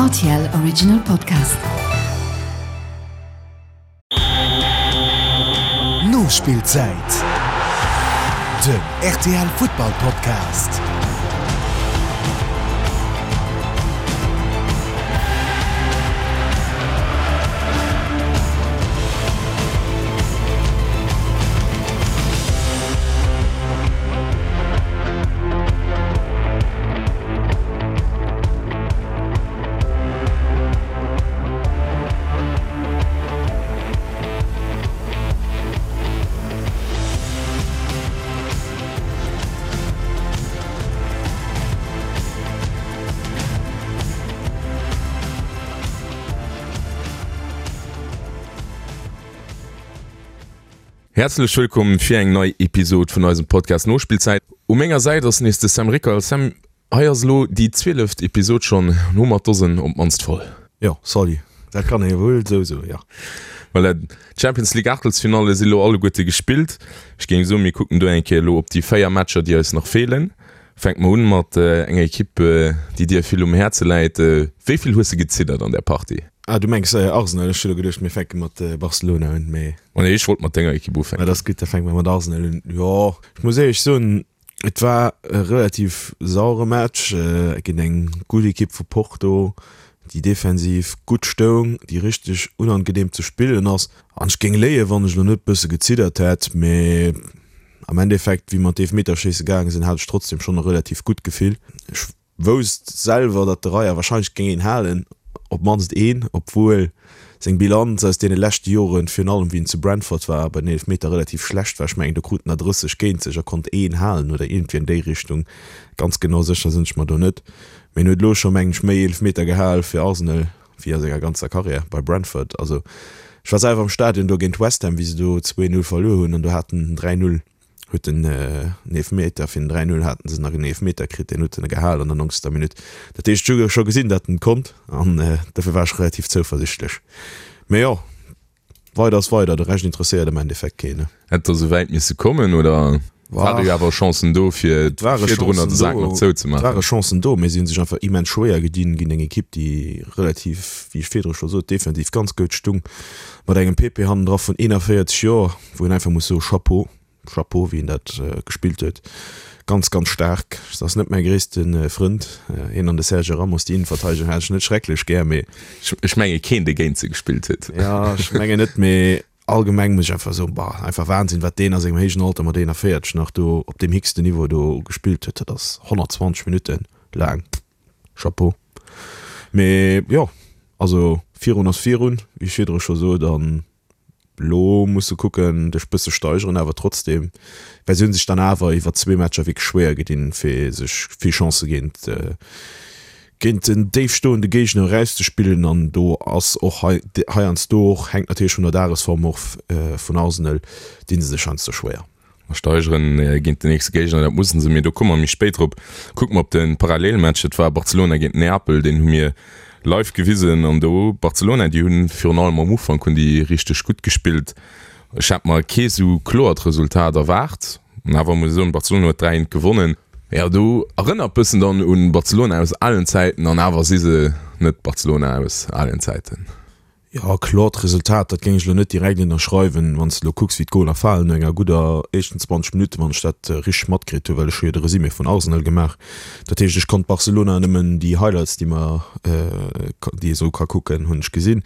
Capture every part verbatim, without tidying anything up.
R T L Original Podcast. Nospillzäit, den R T L Futtball Podcast. Häerzlech wëllkomm fir eng nei Episod vun eisem Podcast Nospillzäit. U menger Säit ass nees de Sam Rickal. Sam, hei ass elo déi zwieleft Episod schonn, hu mer d'Dosen op d'mannst voll. Jo, salut. Dat kann ee wuel esou soen, jo. Voilà, d'Champions League Aachtelsfinalle si elo alleguerte gespillt. Ech géing soen, mir kucken do eng Kéier elo op déi véier Matcher, déi eis nach feelen. Fänke mer un mat enger Ekipp, déi dir vill um Häerze läit. Wéi vill hues de geziddert an där Partie? Ah, du mengs Arsenal. Ech hu lo geduecht, mir fänke mat Barcelona un, mee. Oh nee, ech wollt mat denger Ekipp ufänken. Ma dat ass gutt, da fänke mer mat Arsenal un. Jo, ech muss éierlech soen, et war e relativ sauere Match géint eng gutt Ekipp vu Porto, déi defensiv gutt stoung, déi richteg unangenehm ze spillen ass. An ech géing léien, wann ech lo net bësse geziddert hätt, mee am Endeffekt, wéi mer an d'Eefmeterschéisse gaange sinn, hat ech trotzdem schonn e relativ gutt Gefill. Ech wousst selwer, datt de Raya wahrscheinlech géing een halen, op d'mannst een, obwuel seng Bilanz aus deene leschte Joren, virun allem wéi en zu Brentford war, bei den Eelefmeter relativ schlecht war. Ech mengen, do krut en der drësseg géint sech a konnt een halen oder iergendwéi an déi Richtung. Ganz genau sécher sinn ech mer do net. Mee en huet elo scho, mengen ech, méi Eelefmeter gehal fir Arsenal wéi a senger ganzer Karriär bei Brentford. Also ech war selwer am Stadion do géint West Ham, wéi se do zwee Null verluer hunn an do hat en dräi Null. Huet en Eelefmeter fir den dräi Null haten se nach en Eelefmeter kritt, deen huet en gehal an der nonzegster Minutt. Dat heescht, ech hu scho gesinn, datt en konnt an dofir war ech relativ zouversichtlech. Mee jo, weider ass weider, de Rescht interesséiert am Endeffekt keen, ne? Hätt der esou wäit misse kommen oder ware jo awer Chancen do fir virdrunner de Sak nach zouzemaachen? Et ware Chancen do, mee si hu sech einfach immens schwéier gedinn géint eng Ekipp, déi relativ, wéi ech virdru scho sot, defensiv ganz gutt stung, mat engem Pepe hannendra vun eenanvéierzeg Joer, wou een einfach muss soen, Chapeau. Chapeau wéi en dat gespillt huet. Ganz ganz staark. Dat ass net mäi gréisste Frënd, hien an de Sergio Ramos, déi Innenverteidegung hat ech net schrecklech gär, mee. Ech menge keen dee géint se gespillt huet. Jo ech mengen net, mee allgemeng muss ech einfach soen, bah einfach Wahnsinn wat deen a sengem héijen Alter mat eenanvéierzeg nach do op deem héchsten Niveau do gespillt huet. Dat ass honnertzwanzeg Minutte laang. Chapeau. Mee jo, also virun ass virun, wéi ech virdru scho sot an Lo muss se kucken dech bësse steigeren, awer trotzdem, well se hunn sech dann awer iwwer zwee Matcher wierklech schwéier gedinn, fir sech vill Chancë géint géint en déif stoende Géigner erauszespillen. An do ass och hei heiansdo och, hänkt natierlech vun der Dagesform of vun Arsenal, dinn se sech heiansdo schwéier. A steigeren géint den nächste Géigner, dat mussen se, mee do komme mer méi spéit drop. Kucke mer op de Parallelmatch, dat war Barcelona géint Neapel, deen hu mir live gewisen an do Barcelona, déi hunn virun allem am Ufank hunn déi richteg gutt gespillt. Ech hat mer kee sou kloert Resultat erwaart, an awer muss ech soen, Barcelona huet dräi eent gewonnen. Jo, do erënnert bëssen dann un Barcelona aus alen Zäiten, an awer si se net Barcelona aus alen Zäiten. Jo, kloert Resultat, dat géing ech elo net direkt ënnerschreiwen. Wann s de elo kucks, wéi d'Goler falen no enger gudder éischten zwanzeg Minutten, wann ech dat richteg matkritt hunn, well ech hu jo de Resumé vun Arsenal gemaach, dat heescht, ech konnt Barcelona nëmmen déi Highlights, déi mer, déi ee sou ka kucken, hunn ech gesinn.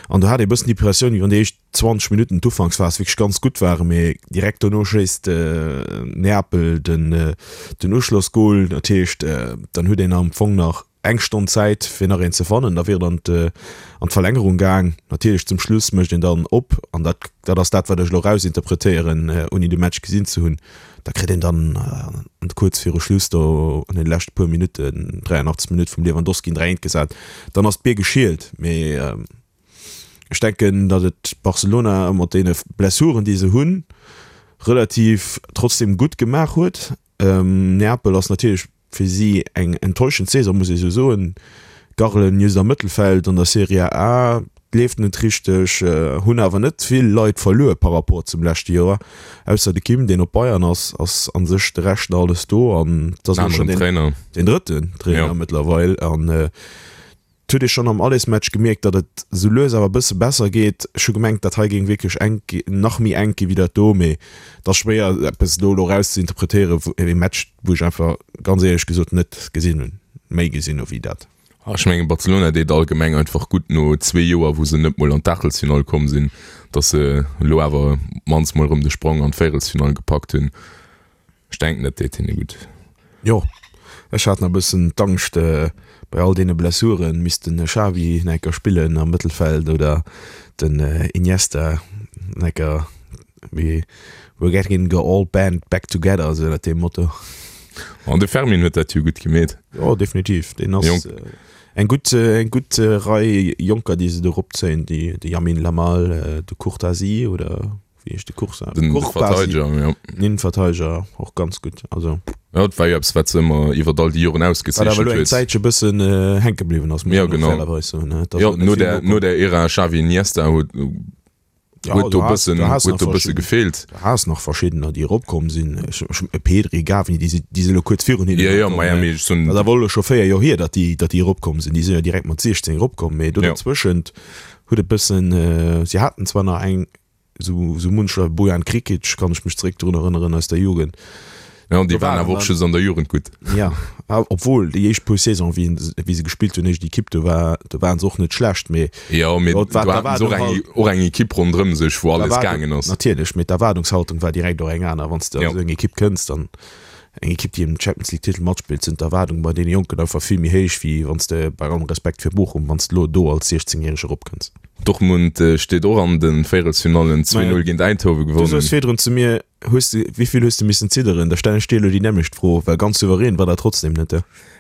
An do hat ee bëssen d'Impressioun, wéi wann déi éischt zwanzeg Minutten, d'Ufanksphas, wierklech ganz gutt waren, mee direkt dono schéisst Neapel den Uschlossgol. Dat heescht, dann huet een am Fong nach eng Stonn Zäit fir nach een ze fannen, da wier et an an d'Verlängerung gaang. Natierlech zum Schluss mécht een dann op an dat dat ass dat wat ech elo rausinterpretéieren ouni de Match gesinn ze hunn, da kritt een dann kuerz viru Schluss do an den leschte puer Minutten, dräianachtzeg Minutt vum Lewandowski en dräi eent gesat, dann ass d'Bier geschielt. Mee ech denken, datt et Barcelona mat deene Blessuren déi se hunn relativ trotzdem gutt gemaach huet. Neapel ass natierlech fir si eng enttäuschend Saison, muss ee sou soen. Garlen just am Mëttelfeld an der Serie A, leeft net richteg, hunn awer net vill Leit verluer par rapport zum leschte Joer. Ausser de Kim, deen op Bayern ass, ass a sech de Rescht nach alles do an et ass elo schonn deen drëtten Trainer mëttlerweil. An Et huet ee schonn am Allesmatch gemierkt, datt et sou lues awer e bësse besser geet. Ech hu gemengt, dat hei géing wierklech enk, nach méi enk gi wéi dat do, mee et ass schwéier eppes do elo eraus ze interpretéieren, wou ee Match, wou ech einfach ganz éierlech gesot net gesinn hunn, méi gesinn hu wéi dat. Ech mengen Barcelona deet allgemeng einfach gutt no zwee Joer, wou se net mol an d'Aachtelsfinall komm sinn, datt se elo awer op d'mannst mol erëm de Sprong an d'Véierelsfinall gepackt hunn. Ech denken, dat deet hinne gutt. Jo, ech hat nach e bëssen d'Angscht, bei all deene Blessuren misst den Xavi nach eng Kéier spillen am Mëttelfeld oder den Iniesta nach eng Kéier, wéi we're getting the old band back together, esou ënnert deem Motto. An de Fermin huet dat jo gutt gemeet. Jo, definitiv, deen ass eng gutt, eng gutt Rei Jonker, déi se do eropzéien, déi, de Yamin Lamal, de Courtasi oder wéi heescht de Coursa? Den Verteideger, ja. Den Innenverteideger, och ganz gutt, also. Ja, dat war jo eppes, wat se ëmmer iwwer all déi Joren ausgezeechent huet. Wat awer elo eng Zäitche bëssen hänke bliwwen ass, muss een och fairerweis soen. Jo, no der, no der Ära Xavi Iniesta huet, huet do bëssen, huet do bësse gefeelt. Du has nach verschiddener, déi eropkomm sinn, e Pedri, Gavi, déi si, déi si elo kuerz virun hinnen erakomm. Jo, jo, ma ja, mee ech soen. Dat ass awer elo scho véier Joer hier, datt déi, datt déi eropkomm sinn. Déi sinn jo direkt mat siechzéng eropkomm, mee do dozwëschent huet et bëssen, si haten zwar nach eng, Sou, sou muncher Bojan Krikic kann ech mech zeréck drun erënneren aus der Jugend. Ja, an déi waren awer och just an der Jugend gutt. Ja, obwuel déi éischt puer Saison, wéi, wéi se gespillt hunn, éischt Ekipp, do war, do waren se och net schlecht, mee. Jo, mee do haten se och eng, och eng Ekipp ronderëm sech, wou alles gaangen ass. Natierlech, mee d'Erwaardungshaltung war direkt och eng aner. Wann s de an esou eng Ekipp kënns, dann Eng Ekipp, déi ëm Champions League Titel matspillt, sinn d'Erwaardunge bei deene Jonken einfach vill méi héich, wéi wann s de, bei allem Respekt fir Bochum, wann s de elo do als siechzéngjäreg eropkënns. Dortmund steet och an de Véierelsfinallen, zwee Null géint Eindhoven gewonnen. Du soos virdrun zu mir, hues de, wéi vill hues de missen zidderen? Da stellen ech dir elo déi nämmlecht Fro, well ganz souverän war dat trotzdem net.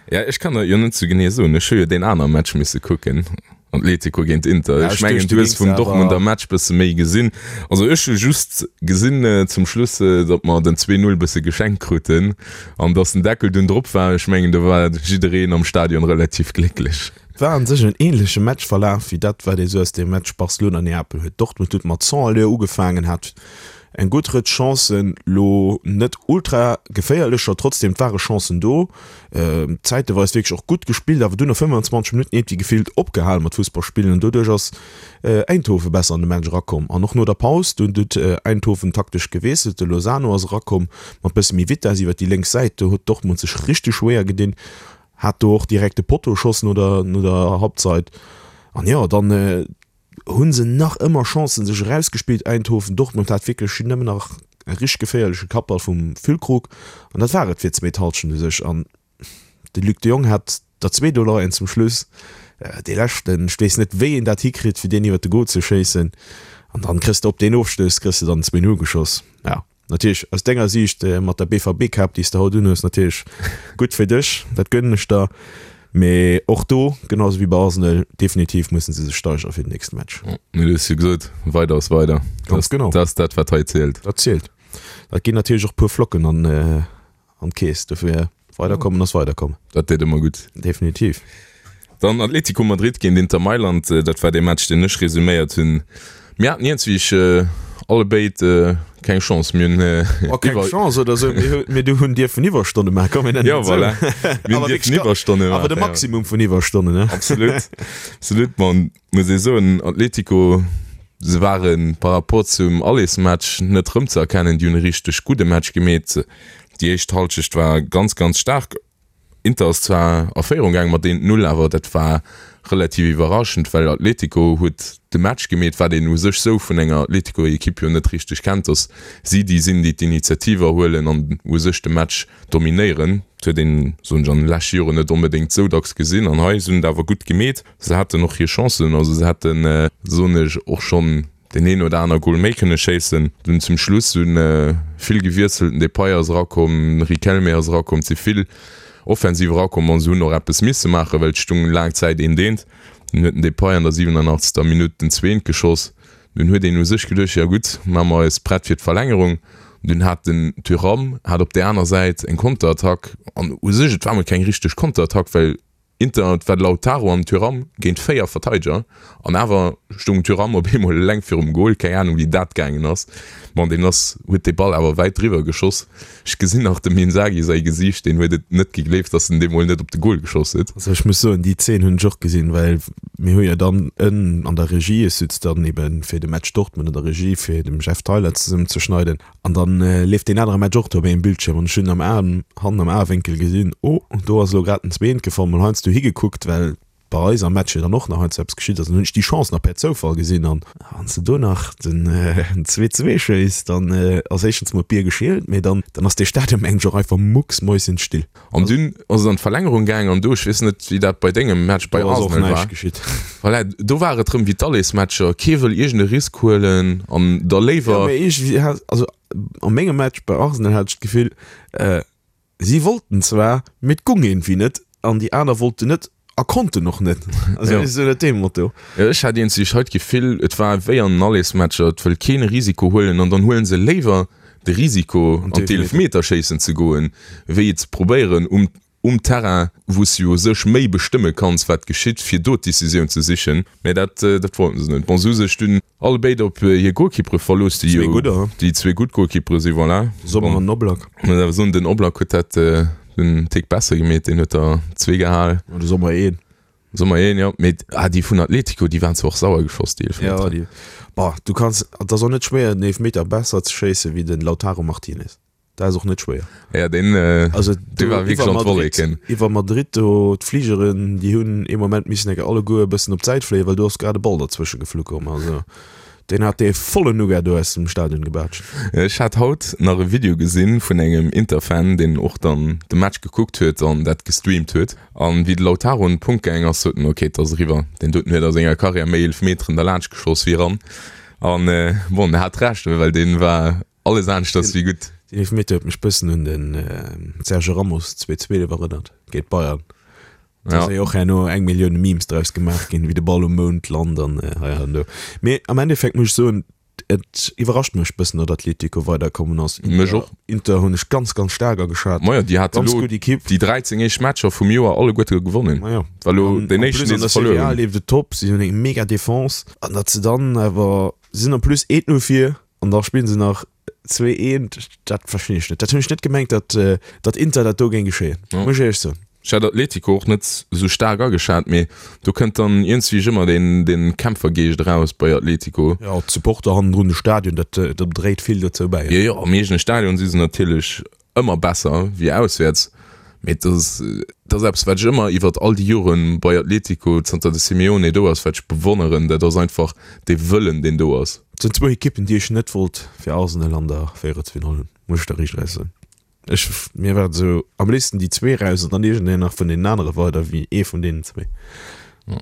Ja, ech kann dat jo net sou genee soen. Ech hu jo deen anere Match misse kucken. Atletico géint Inter. Ech mengen du hues vum Dortmunder Match bësse méi gesinn. Also ech hu just gesinn zum Schluss, datt mer den zwee Null bësse geschenkt kruten an datt den Deckel dunn drop war. Ech mengen do war jiddereen am Stadion relativ glécklech. Et war an sech en ähnleche Matchverlaf wéi dat wat ee sou aus dem Match Barcelona-Neapel huet. Dortmund huet mat cent Allure ugefaangen, hat eng gutt Rëtsch Chancen, lo net ultra geféierlecher, trotzdem et ware Chancen do, zäiteweis wierklech och gutt gespillt, awer dunn no fëmmenundzwanzeg Minutten iergendwéi gefillt opgehal mat Fussball spillen an doduerch ass Eindhoven besser an de Match erakomm. An och no der Paus, dunn huet Eindhoven taktesch gewiesselt, de Lozano ass erakomm mat bësse méi Vitess iwwer déi lénks Säit, do huet Dortmund sech richteg schwéier gedinn, hat do och direkt de Potto geschoss no der no der Halbzeit an jo dann Hunn se nach ëmmer Chancen sech erausgespillt. Eindhoven, Dortmund hat wierklech nëmmen nach e richteg geféierleche Kappball vum Füllkrug an dat war et fir d'zweet Hallschent u sech. An de Luc de Jong hat der zwee do leien zum Schluss, dee leschten, ech weess net wéi een dat hikritt fir deen iwwert de Goal ze schéissen an dann kriss de op deen Ofstouss kriss de dann zwee Null geschoss. Ja. Natierlech aus denger Siicht mat der B V B-Kap, déi s de haut unhues, natierlech gutt fir dech, dat gönnen ech der. Mee och do, genau esou wéi bei Arsenal, definitiv mussen se sech steigere fir den nächste Match. Mee du hues jo gesot, weider ass weider. Ganz genau. Dat ass dat, wat hei zielt. Dat zielt. Dat ginn natierlech och e puer Flocken an d'Keess. Dofir, weiderkommen ass weiderkommen. Dat deet ëmmer gutt. Definitiv. Dann Atlético Madrid géint Inter Mailand, dat war dee Match, deen ech resuméiert hunn. Mir haten iergendwéi allebéid keng Chance. Mir hunn Oh, keng Chance oder esou, mir hu, mir du hunn dierfen Iwwerstonne maachen, komm mir nennen et esou. Jo, voilà, mir hunn dierfen Iwwerstonne maachen. Awer de Maximum vun Iwwerstonnen, ne? Absolut, absolut. Ma muss ee soen, Atlético, se ware par rapport zum Allersmatch net erëmzeerkennen. Déi hunn e richteg gudde Match gemeet. Déi éischt Hallschecht war ganz, ganz staark. Inter ass zwar a Féierung gaangen mat eent Null, awer dat war relativ iwwerraschend, well Atletico huet de Match gemeet, wat een u sech sou vun enger Atletico-Ekipp jo net richteg kennt, dass si déi sinn, déi d'Initiativ erhuelen an u sech de Match dominéieren. Dat huet een, soen ech, an de leschte Joren net onbedéngt sou dacks gesinn an hei. Se hunn et awer gutt gemeet. Se haten och hir Chancen, also se hätten, soen ech, och schonn deen een oder aner Gol méi kënne schéissen. Dunn zum Schluss hu vill gewiesselt, den Depay ass erakomm, den Riquelme ass erakomm, et si vill Offensiv erakomm an se hunn och eppes misse maachen, well et stung laang Zäit eent eent. Dunn huet den Depay an der siwenanachtzegster Minutt den zweent geschoss. Dunn huet een u sech geduecht, jo gutt, maache mer eis prett fir d'Verlängerung. Dunn hat den Thuram hat op där aner Säit eng Konterattack an u sech, et war mol keng richteg Konterattack, well Inter, et war de Lautaro an Thuram géint véier Verteideger an awer stoung Thuram op eemol eleng virum Gol, keng Anung wéi dat gaangen ass. Bon, deen ass, huet de Ball awer wäit driwwer geschoss. Ech gesinn nach dem Inzaghi säi Gesiicht, deen huet et net gegleeft, datt en deemol net op de Gol geschoss huet. Also ech muss soen, déi Zeen hunn ech och gesinn, well mir hu jo dann en an der Regie, ech sutz dann eben fir de Match Dortmund an der Regie fir dem Jeff Theiler zesummen ze schneiden an dann leeft deen anere Match och do op engem Bildschierm an ech hunn am Aen, hannen am Aewénkel gesinn, oh do ass elo grad en Zweent gefall, mol heiansdo higekuckt, well bei eis am Match jo dann och nach heiansdo eppes geschitt ass, an hunn ech déi Chance nach per Zoufall gesinn an wann s de do nach den zwee zwee schéiss, dann ass éischtens mol d'Bier geschielt, mee dann dann ass dee Stadion mengen ech och einfach mucksmäuschenstill. An dunn ass et an d'Verlängerung gaang an do, ech weess net wéi dat bei dengem Match bei Do ass och Arsenal war, näischt geschitt. voilà, do war et rëm wéi d'Allesmatcher, kee wëll iergend e Risk huelen an da Jo, léiwer. mee iergendwéi hat, also a mengem Match bei Arsenal hat ech d'Gefill, si wollten zwar, mee et gung iergendwéi net an déi aner wollten net a konnten och net. Also Ja. esou dat deem Motto. Jo, ech hat iergendwéi hei d'Gefill, et war wéi an den Allesmatcher, et wëll keen e Risiko huelen an dann huelen se léiwer de Risiko An an d'Eelefmeterschéissen ze goen, wéi et ze probéieren um um Terrain, wou s du u sech méi bestëmme kanns, wat geschitt, fir do d'Decisioun ze sichen. Mä dat, dat wollten se net. Bon, se hu sech dunn allebéid op hir Golkippere verlooss, déi Zwee jo gudder, he? déi zwee gutt Golkippere sinn, voilà. Sommer Bon, an Oblak. muss awer soen, den Oblak huet dat den Tick besser gemeet, deen huet der zwee gehal. An de Sommer een. Sommer een, jo. Mee ah, déi vun Atletico, déi waren zwar och sauer geschoss, déi Ja, Eelefmeter. déi, bah, du kanns, et ass och net schwéier, den Eelefmeter besser ze schéisse wéi den Lautaro Martinez. Dat ass och net schwéier. Ja, deen, äh, Also dee war wierklech an d'Wolleken. Iwwer Madrid do, d'Fligeren, déi hunn ee Moment missen enke alleguer e bëssen op d'Säit fléien, well do ass grad e Ball derzwësche geflu komm. Also deen hat dee vollen Nougat do aus dem Stadion gebaatscht. Ech hat haut nach e Video gesinn vun engem Inter-Fan, deen och dann de Match gekuckt huet an dat gestreamt huet. An wéi de Lautaro un den Punkt gaang ass, sot en, ok, et ass eriwwer. Deen doten huet a senger Karriär méi Eelefmeteren derlaanscht geschoss wéi eran. An bon, en hat Recht, well deen war alles aneschters wéi gutt. Deen Eelefmeter huet mech bëssen un den Sergio Ramos zwee zweelef erënnert géint Bayern. Do ass jo och herno eng Millioun Memes draus gemaach ginn, wéi de Ball um Mound lant an hei an do. Mee am Endeffekt muss ech soen, et iwwerrascht mech bëssen, datt Atletico weiderkommen ass. Mech och. Inter hunn ech ganz, ganz staark ageschat. Majo, déi hate Ganz lo gutt Ekipp. déi dräizéng éischt Matcher vum Joer alleguerte gewonnen. Majo. War lo An deen en éischten, plus dee an der se verluer Serie A hunn. leeft et top, si hunn eng mega Defense. An datt se dann awer, si sinn en plus eent null vir an da spillen se nach Zwee eent, dat verstinn ech net. Dat hunn ech net gemengt, datt datt Inter dat do géing geschéien, Ja. muss ech éierlech soen. Ech hat Atletico och net esou staark ageschat, mee do kënnt dann iergendswéi ëmmer deen deen Kämpfergeescht eraus bei Atletico. Jo, d'Supporter hannendrun, de Stadion, dat dat dréit vill dozou bäi. Jo, jo, am eegene Stadion si se natierlech ëmmer besser wéi auswäerts, mee et ass dat ass eppes wat ech ëmmer iwwert all déi Joren bei Atletico, zanter de Simeone do ass, wat ech bewonneren, dat ass einfach dee Wëllen deen do ass. Et sinn zwou Ekippen, déi ech net wollt fir Arsenal an der Véierelsfinall hunn, muss ech der riicht eraus soen. Ech, mir war et esou, am léifsten déi zwee raus an dann iergendeen nach vun deenen anere weider wéi ee vun deenen zwee. Ja.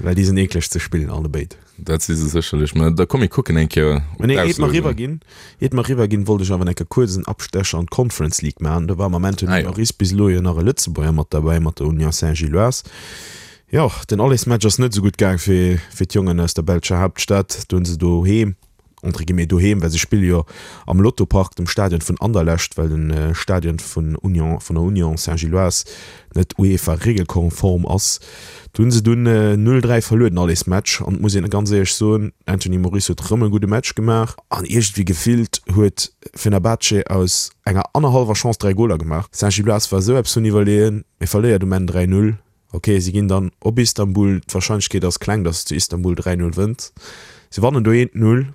Well déi sinn eekleg ze spillen, allebéid. Dat si se sécherlech, mä da komm mir kucken eng Kéier op Mä nee, iert mer d'Auslosung. eriwwer ginn, iert mer eriwwer ginn, wollt ech awer eng Kéier kuerz en Abstecher an d'Conference League maachen. Do war mam Anthony Ah jo. Moris bis elo jo nach e Lëtzebuerger mat derbäi, mat der Union Saint-Gilloise. Jo, den Allesmatch ass net esou gutt gaang fir fir d'Jongen aus der belscher Haaptstad. Do hunn se doheem, entre guillemets doheem, well se spille jo am Lotto Park, dem Stadion vun Anderlecht, well de Stadion vun Union, vun der Union Saint-Gilloise net UEFA-regelkonform ass. Do hunn se dunn null dräi verluer den Allesmatch. An et muss een ganz éierlech soen, Anthony Moris huet rëm e gudde Match gemaach an iergendwéi gefillt huet Fenerbahce aus enger annerhallwer Chance dräi Goler gemaach. Saint-Gilloise war esou eppes vun iwwerleeën, mee verléiert um Enn dräi null. Ok, si ginn dann op Istanbul, d'Warscheinlechkeet ass kleng, datt s zu Istanbul dräi null wënns. Si wannen do eent null,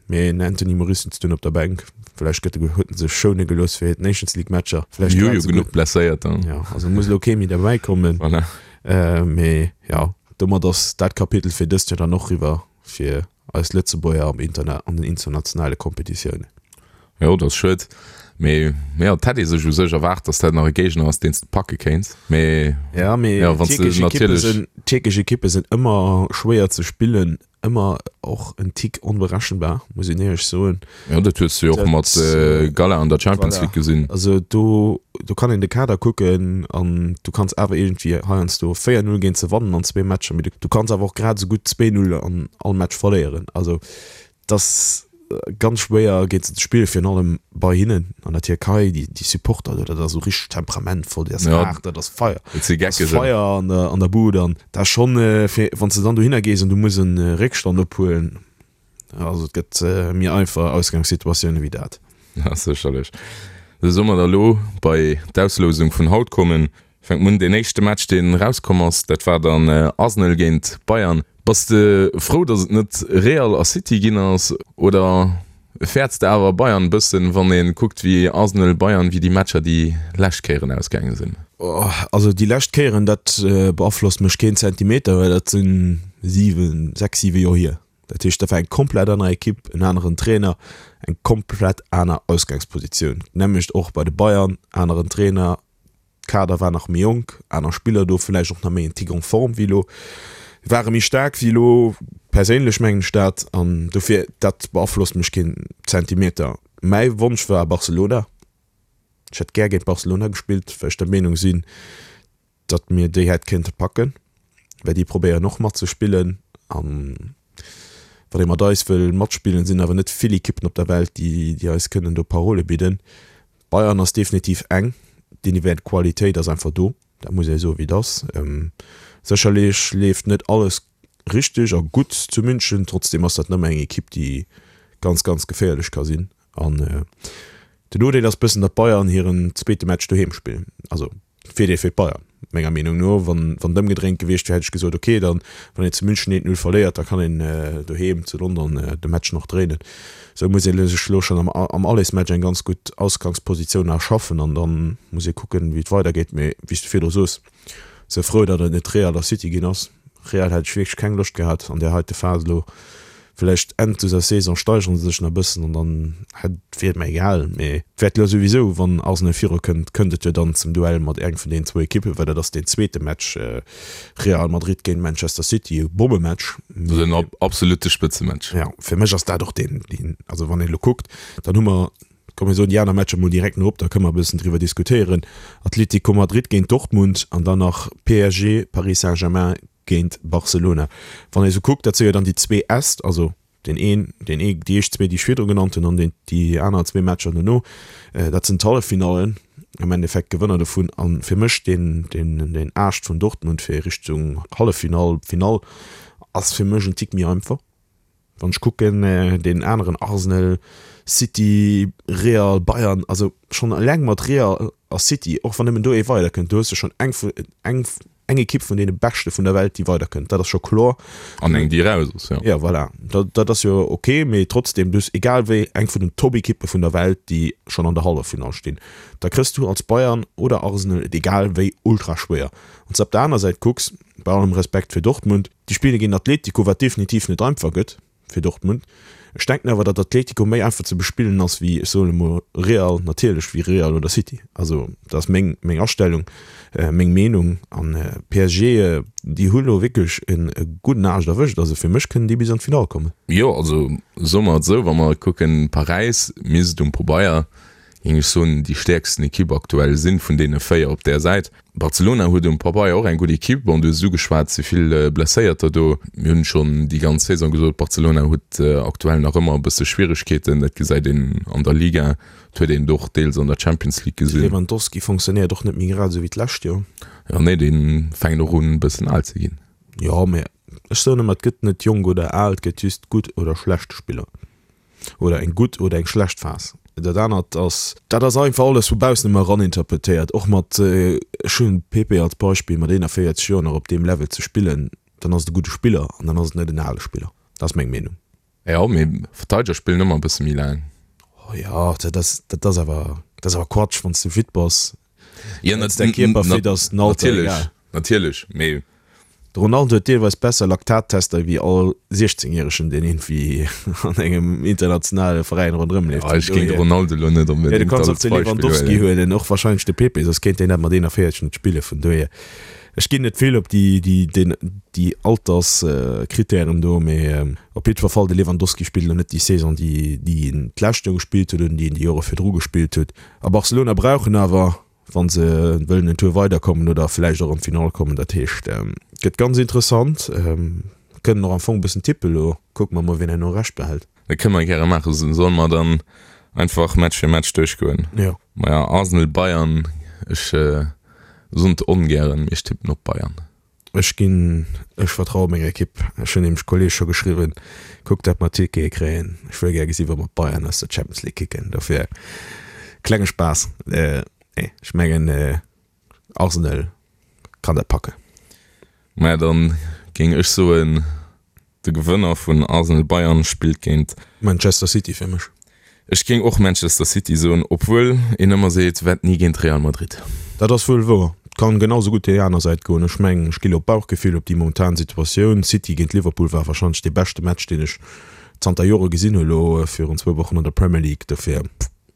mee den Anthony Moris sëtzt dunn op der Bänk. Vläicht gëtt e, huet en sech schoune gelooss fir d'Nations League Matcher. Vläicht Mir hu grad jo esou genuch gutt. Blesséierter. Jo, also muss elo kee méi derbäi kommen. Voilà. Mee jo, domat ass dat Kapitel fir dëst Joer dann och eriwwer fir eis Lëtzebuerger am Interna an den internationale Kompetitiounen. Jo, dat ass schued. Mee jo, et hätt ee sech u sech erwaart, datt dat nach e Géigner ass, deen s de packe kéints. Mee Ja, mee jo, wann s de tierkesch Ekippe natierlech. sinn, tierkesch Ekippe sinn ëmmer schwéier ze spillen, ëmmer och en Tick onberechenbar, muss een éierlech soen. Jo, dat hues de jo och Dat, mat Gala an der Champions voilà. League gesinn. Also do, do kann een de Kader kucken an du kanns awer iergendwéi heiansdo véier Null géint se wannen an zwee Matcher, mee du, du kanns awer och grad esou gutt zwee Null an all Match verléieren. Also dass ganz schwéier géint se ze spillen, virun allem bei hinnen an der Tierkei, déi déi Supporter do, dat ass esou richteg temperamentvoll, déi ass Ja. haart, dat ass Feier, Et si dat ass Geckegen. Feier an der an der Bud an dat ass schonn fir wann s de dann dohinner gees an du muss en Réckstand ophuelen, also et gëtt méi einfach Ausgangssituatioune wéi dat. Ja, sécherlech. Da solle mer da lo bei d'Auslousung vun haut kommen. Fänke mer un, deen éischte Match, deen erauskomm ass, dat war dann Arsenal géint Bayern. Bass de frou, datt et net Real a City ginn ass oder fäerts de awer Bayern e bëssen, wann ee kuckt, wéi Arsenal, Bayern, wéi déi Matcher déi lescht Kéieren ausgaange sinn? Also déi lescht Kéieren, dat beaflosst mech keen Zentimeter, well dat si siwen, sechs, siwe Joer hier. Dat heescht, dat war eng komplett aner Ekipp, en aneren Trainer, eng komplett aner Ausgangspositioun. D'nämmlecht och bei de Bayern, aneren Trainer, Kader war nach méi jonk, aner Spiller do, vläicht och nach méi en Tick en forme wéi elo, ware méi staark wéi elo, perséinlech mengen ech dat, an dofir, dat beaflosst mech keen Zentimeter. Mäi Wonsch war Barcelona. Ech hätt gär géint Barcelona gespillt, well ech der Meenung sinn, datt mir déi hätt kéinte packen, well déi probéieren och matzespillen an wann ee mat eis wëll matspillen, sinn awer net vill Ekippen op der Welt, déi déi eis kënnen do Parole bidden. Bayern ass definitiv eng, déi Qualitéit ass einfach do, dat muss ee soen, wéi et ass. Sécherlech leeft net alles richteg a gutt zu München, trotzdeem ass dat nëmme eng Ekipp, déi ganz, ganz geféierlech ka sinn. An den Nodeel ass bëssen, datt Bayern hiren zweete Match doheem spillen. Also Virdeel fir d'Bayern, menger Meenung no. Wann wann et ëmgedréint gewiescht wier, hätt ech gesot, ok, dann wann een zu München eent Null verléiert, da kann een doheem zu London de Match nach dréinen. Esou muss ee sech elo schonn am am Allersmatch eng ganz gutt Ausgangspositioun erschaffen an dann muss ee kucken, wéi et weidergeet. Mee wéi s de virdru sos, sou frou, datt et net Real a City ginn ass. Real hätt ech wierklech keng Loscht gehat an där heite Phas elo. Vläicht Enn dëser Saison steigere se sech nach e bëssen an dann hätt, wier et mer egal. Mee et wäert elo souwisou, wann Arsenal virukënnt, kënnt et jo dann zum Duell mat engem vun deenen zwou Ekippen, well dat ass deen zweete Match, Real Madrid géint Manchester City, e Bommematch. Dat ass en absolutte Spëtzematch. Jo, fir mech ass dat och deen, deen, also wann een elo kuckt, dann hu mer, komm mir soen déi aner Matcher mol direkt no op, da kënne mer e bëssen driwwer diskutéieren, Atlético Madrid géint Dortmund an dann nach P S G, Paris Saint-Germain géint Barcelona. Wann ee sou kuckt, dat si jo dann déi zwee Äst, also deen een, deen ee, déi éischt zwee, déi ech virdru genannt hunn, an deen, déi aner zwee Matcher dono, dat sinn d'Halleffinallen am Endeffekt, d'Gewënner dovun. A fir mech deen, deen, deen Aascht vun Dortmund fir Richtung Halleffinall, Finall ass fir mech en Tick méi einfach. Wann ech kucken, deen aneren Arsenal, City, Real, Bayern, also schonn eleng mat Real a City, och wann nëmmen do ee weiderkënnt, do hues de schonn eng vu, eng, eng Ekipp vun deene beschte vun der Welt, déi weiderkënnt, dat ass scho kloer. An eng, déi eraus ass, jo. Jo, voilà, dat, dat ass jo ok, mee trotzdem, du hues egal wéi eng vun den Top-Ekippe vun der Welt, déi schonn an der Halleffinall stinn. Da kriss du als Bayern oder Arsenal et egal wéi ultra schwéier. Wann s de op der aner Säit kucks, bei allem Respekt fir Dortmund, déi spille géint Atletico, wat definitiv net einfach gëtt fir Dortmund. Ech denken awer, datt Atletico méi einfach ze bespillen ass wéi, ech soen emol, Real, natierlech wéi Real oder City. Also dat ass meng, meng Astellung, meng Meenung. An P S G, déi hu lo wierklech e gudden Aascht erwëscht. Also fir mech kënnen déi bis an d'Finall kommen. Jo, also soe mer et esou, wa mer kucken, Paräis misst um Pabeier géing ech soen, déi stäerksten Ekipp aktuell sinn vun deene véier op där Säit. Barcelona huet um Pabeier och eng gutt Ekipp. Bon, du hues et ugeschwat, et si vill Blesséierter do. Mir hunn schonn déi ganz Saison gesot, Barcelona huet aktuell nach ëmmer e bësse Schwieregkeeten. Dat gesäit een an der Liga, dat huet een et och deels an der Champions League De gesinn. Lewandowski fonctionnéiert och net méi grad esou wéi d'lescht Joer. Jo, nee, dee fänkt och un e bëssen al ze ginn. Jo, mä ech soen ëmmer, et gëtt net jonk oder al, et gëtt just gutt oder schlecht Spiller. Oder eng gutt oder eng schlecht Phas. Dat anert ass, dat ass einfach alles vu baussen ëmmer eraninterpretéiert. Och mat, ech hunn Pepe als Beispill, mat eenanvéierzeg Joer nach op deem Level ze spillen, dann ass et e gudde Spiller an dann ass et net en ale Spiller. Dat ass meng Meenung. Jo, mee Verteideger spillen ëmmer e bësse méi laang. Oh jo, dat ass, dat ass awer, dat ass awer Quatsch, wann s du fit bass. Ja, Wann s däi Kierper fit ass, den Alter natierlech, egal. natierlech, mee. De Ronaldo huet deelweis besser Laktattester wéi all siechzéngjäregen, deen iergendwéi an engem internationale Veräin ronderëm leeft. Ja, ech géing de Ronaldo elo net Ja, du onbedéngt kanns och als de Beispill Lewandowski huelen. huelen, och warscheinlech de Pepe, soss kéint deen dat mat eenanvéierzeg net spillen. Vun dohier, ech ginn net vill op déi, déi, déi, déi Alterskrittären do, mee op jiddwer Fall, de Lewandowski spillt elo net déi Saison, déi, déi en d'lescht Joer gespillt huet oder déi en déi Jore virdru gespillt huet. A Barcelona brauch en awer. Wa se wëllen en Tour weiderkommen oder vläicht och an d'Finall kommen. Dat heescht, et gëtt ganz interessant. Kënnen och am Fong e bëssen tippen elo. Kucke mer mol, wien herno Recht behält. Dat kënne mer gäre maachen. Solle mer dann einfach Match fir Match duerchgoen? Jo. Maja, Arsenal, Bayern, ech soen et ongären, mee ech tippen op Bayern. Ech ginn, ech vertraue menger Ekipp. Ech hunn nämlech Kolleeg scho geschriwwen, kuckt dat mer Tickete kréien. Ech wëll gär gesi wa mer d'Bayern aus der Champions League kicken. Dofir klenge Spaass. Nee, ech mengen Arsenal kann dat packen. Maja, dann géing ech soen, de Gewënner vun Arsenal-Bayern spillt géint. Manchester City fir mech. Ech géing och Manchester City soen, obwuel een ëmmer seet, wett ni géint Real Madrid. Dat ass wuel wouer. Et kann genau sou gutt déi aner Säit goen. Ech mengen, ech gi lo op Bauchgefill, op déi momentan Situatioun. City géint Liverpool war warscheinlech dee beschte Match, deen ech zanter Jore gesinn hu lo virun zwou Wochen an der Premier League. Dofir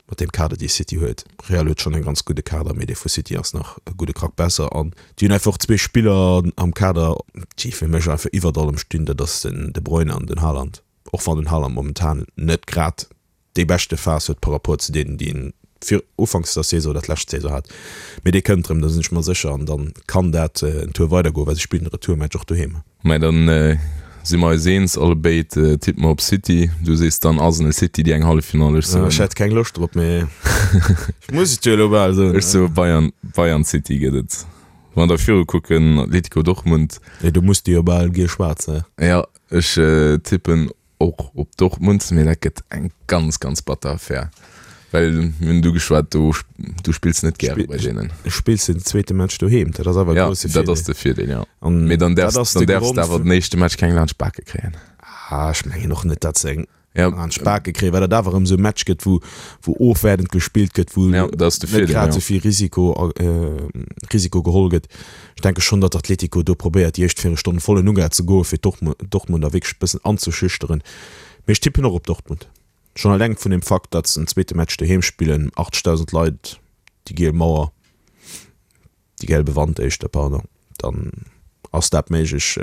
mat deem Kader, dee City huet. Real huet schonn en ganz gudde Kader, mee dee vu City ass nach e gudde Krack besser. An déi hunn einfach zwee Spiller am Kader, déi fir mech einfach iwwert allem stinn, dat ass den De Bruyne an den Haaland. Och wann den Haaland momentan net grad déi beschte Phas huet par rapport zu deenen, déi en fir ufanks der Saison oder d'lescht Saison hat. Mee dee kënnt erëm, do sinn ech mer sécher. An dann kann dat en Tour weidergoen, well se spillen de Retourmatch och doheem. Mä dann si mer eis eens, allebéid tippe mer op City. Du sees dann Arsenal City déi eng Halleffinall, ech soen. Ech hätt keng Loscht drop, mee ech muss et jo elo bal soen. Ech soe Bayern, Bayern City gëtt et. Wa mer da viru kucken, Atletico Dortmund. Nee, do muss de jo bal giel schwaarz, ne? Jo, ech tippen och op Dortmund, mee dat gëtt eng ganz, ganz batter Affär. Well mir hunn du geschwat, do du spills net gäre bei deenen. Spills den zweete Match doheem, dat ass awer e grousse Virdeel. Ja, dat ass de Virdeel, jo. Mee dann däerfs dann däerfs de awer den éischte Match keng laanscht d'Bake kréien. Ah, ech mengen och net, datt se eng laanscht d'Bake kréien, well dat awer erëm esou e Match gëtt, wou wou ofwäertend gespillt gëtt, wou net grad esou vill Risiko Risiko geholl gëtt. Ech denke schonn, datt Atletico do probéiert, déi éischt Véierelstonn vollen Uga ze goen, fir Dortmunder wierklech e bëssen anzeschüchteren. Mee ech tippen och op Dortmund. Schonn eleng vun dem Fakt, datt se den zweete Match doheem spillen, achtzegdausend Leit, déi giel Mauer, déi gelbe Wand éischter, pardon, dann ass dat méiglech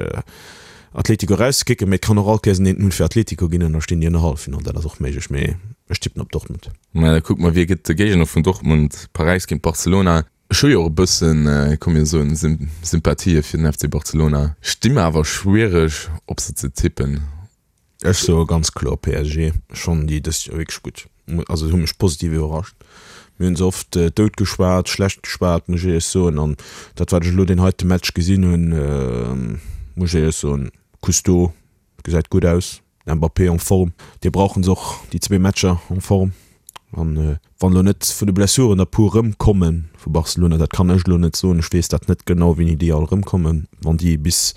Atletico erauszekicken. Mee et kann och all Kéiers en eent Null fir Atletico ginn an da stinn déi an der Halleffinall. Dat ass och méiglech, mee ech tippen op Dortmund. Mä da kucke mer, wie gëtt de Géigner vun Dortmund? Paräis géint Barcelona. Ech hu jo och e bëssen, komm mir soen, Sympathië fir den F C Barcelona. Ech di mer awer schwiereg op se ze tippen. Ech soe ganz kloer P S G. Ech fannen déi dëst Joer wierklech gutt. Also se hu mech positiv iwwerrascht. Mir hunn se oft dout geschwat, schlecht geschwat, muss ech éierlech soen. An dat wat ech elo deen heite Match gesinn hunn, muss ech éierlech soen, Cousteau gesäit gutt aus, Mbappé en Form, dee brauchen se och déi zwee Matcher en Form. An wann elo net vun de Blessuren der puer erëmkomme vu Barcelona, dat kann ech elo net soen, ech weess dat net genau wéini déi all erëmkommen, wann déi bis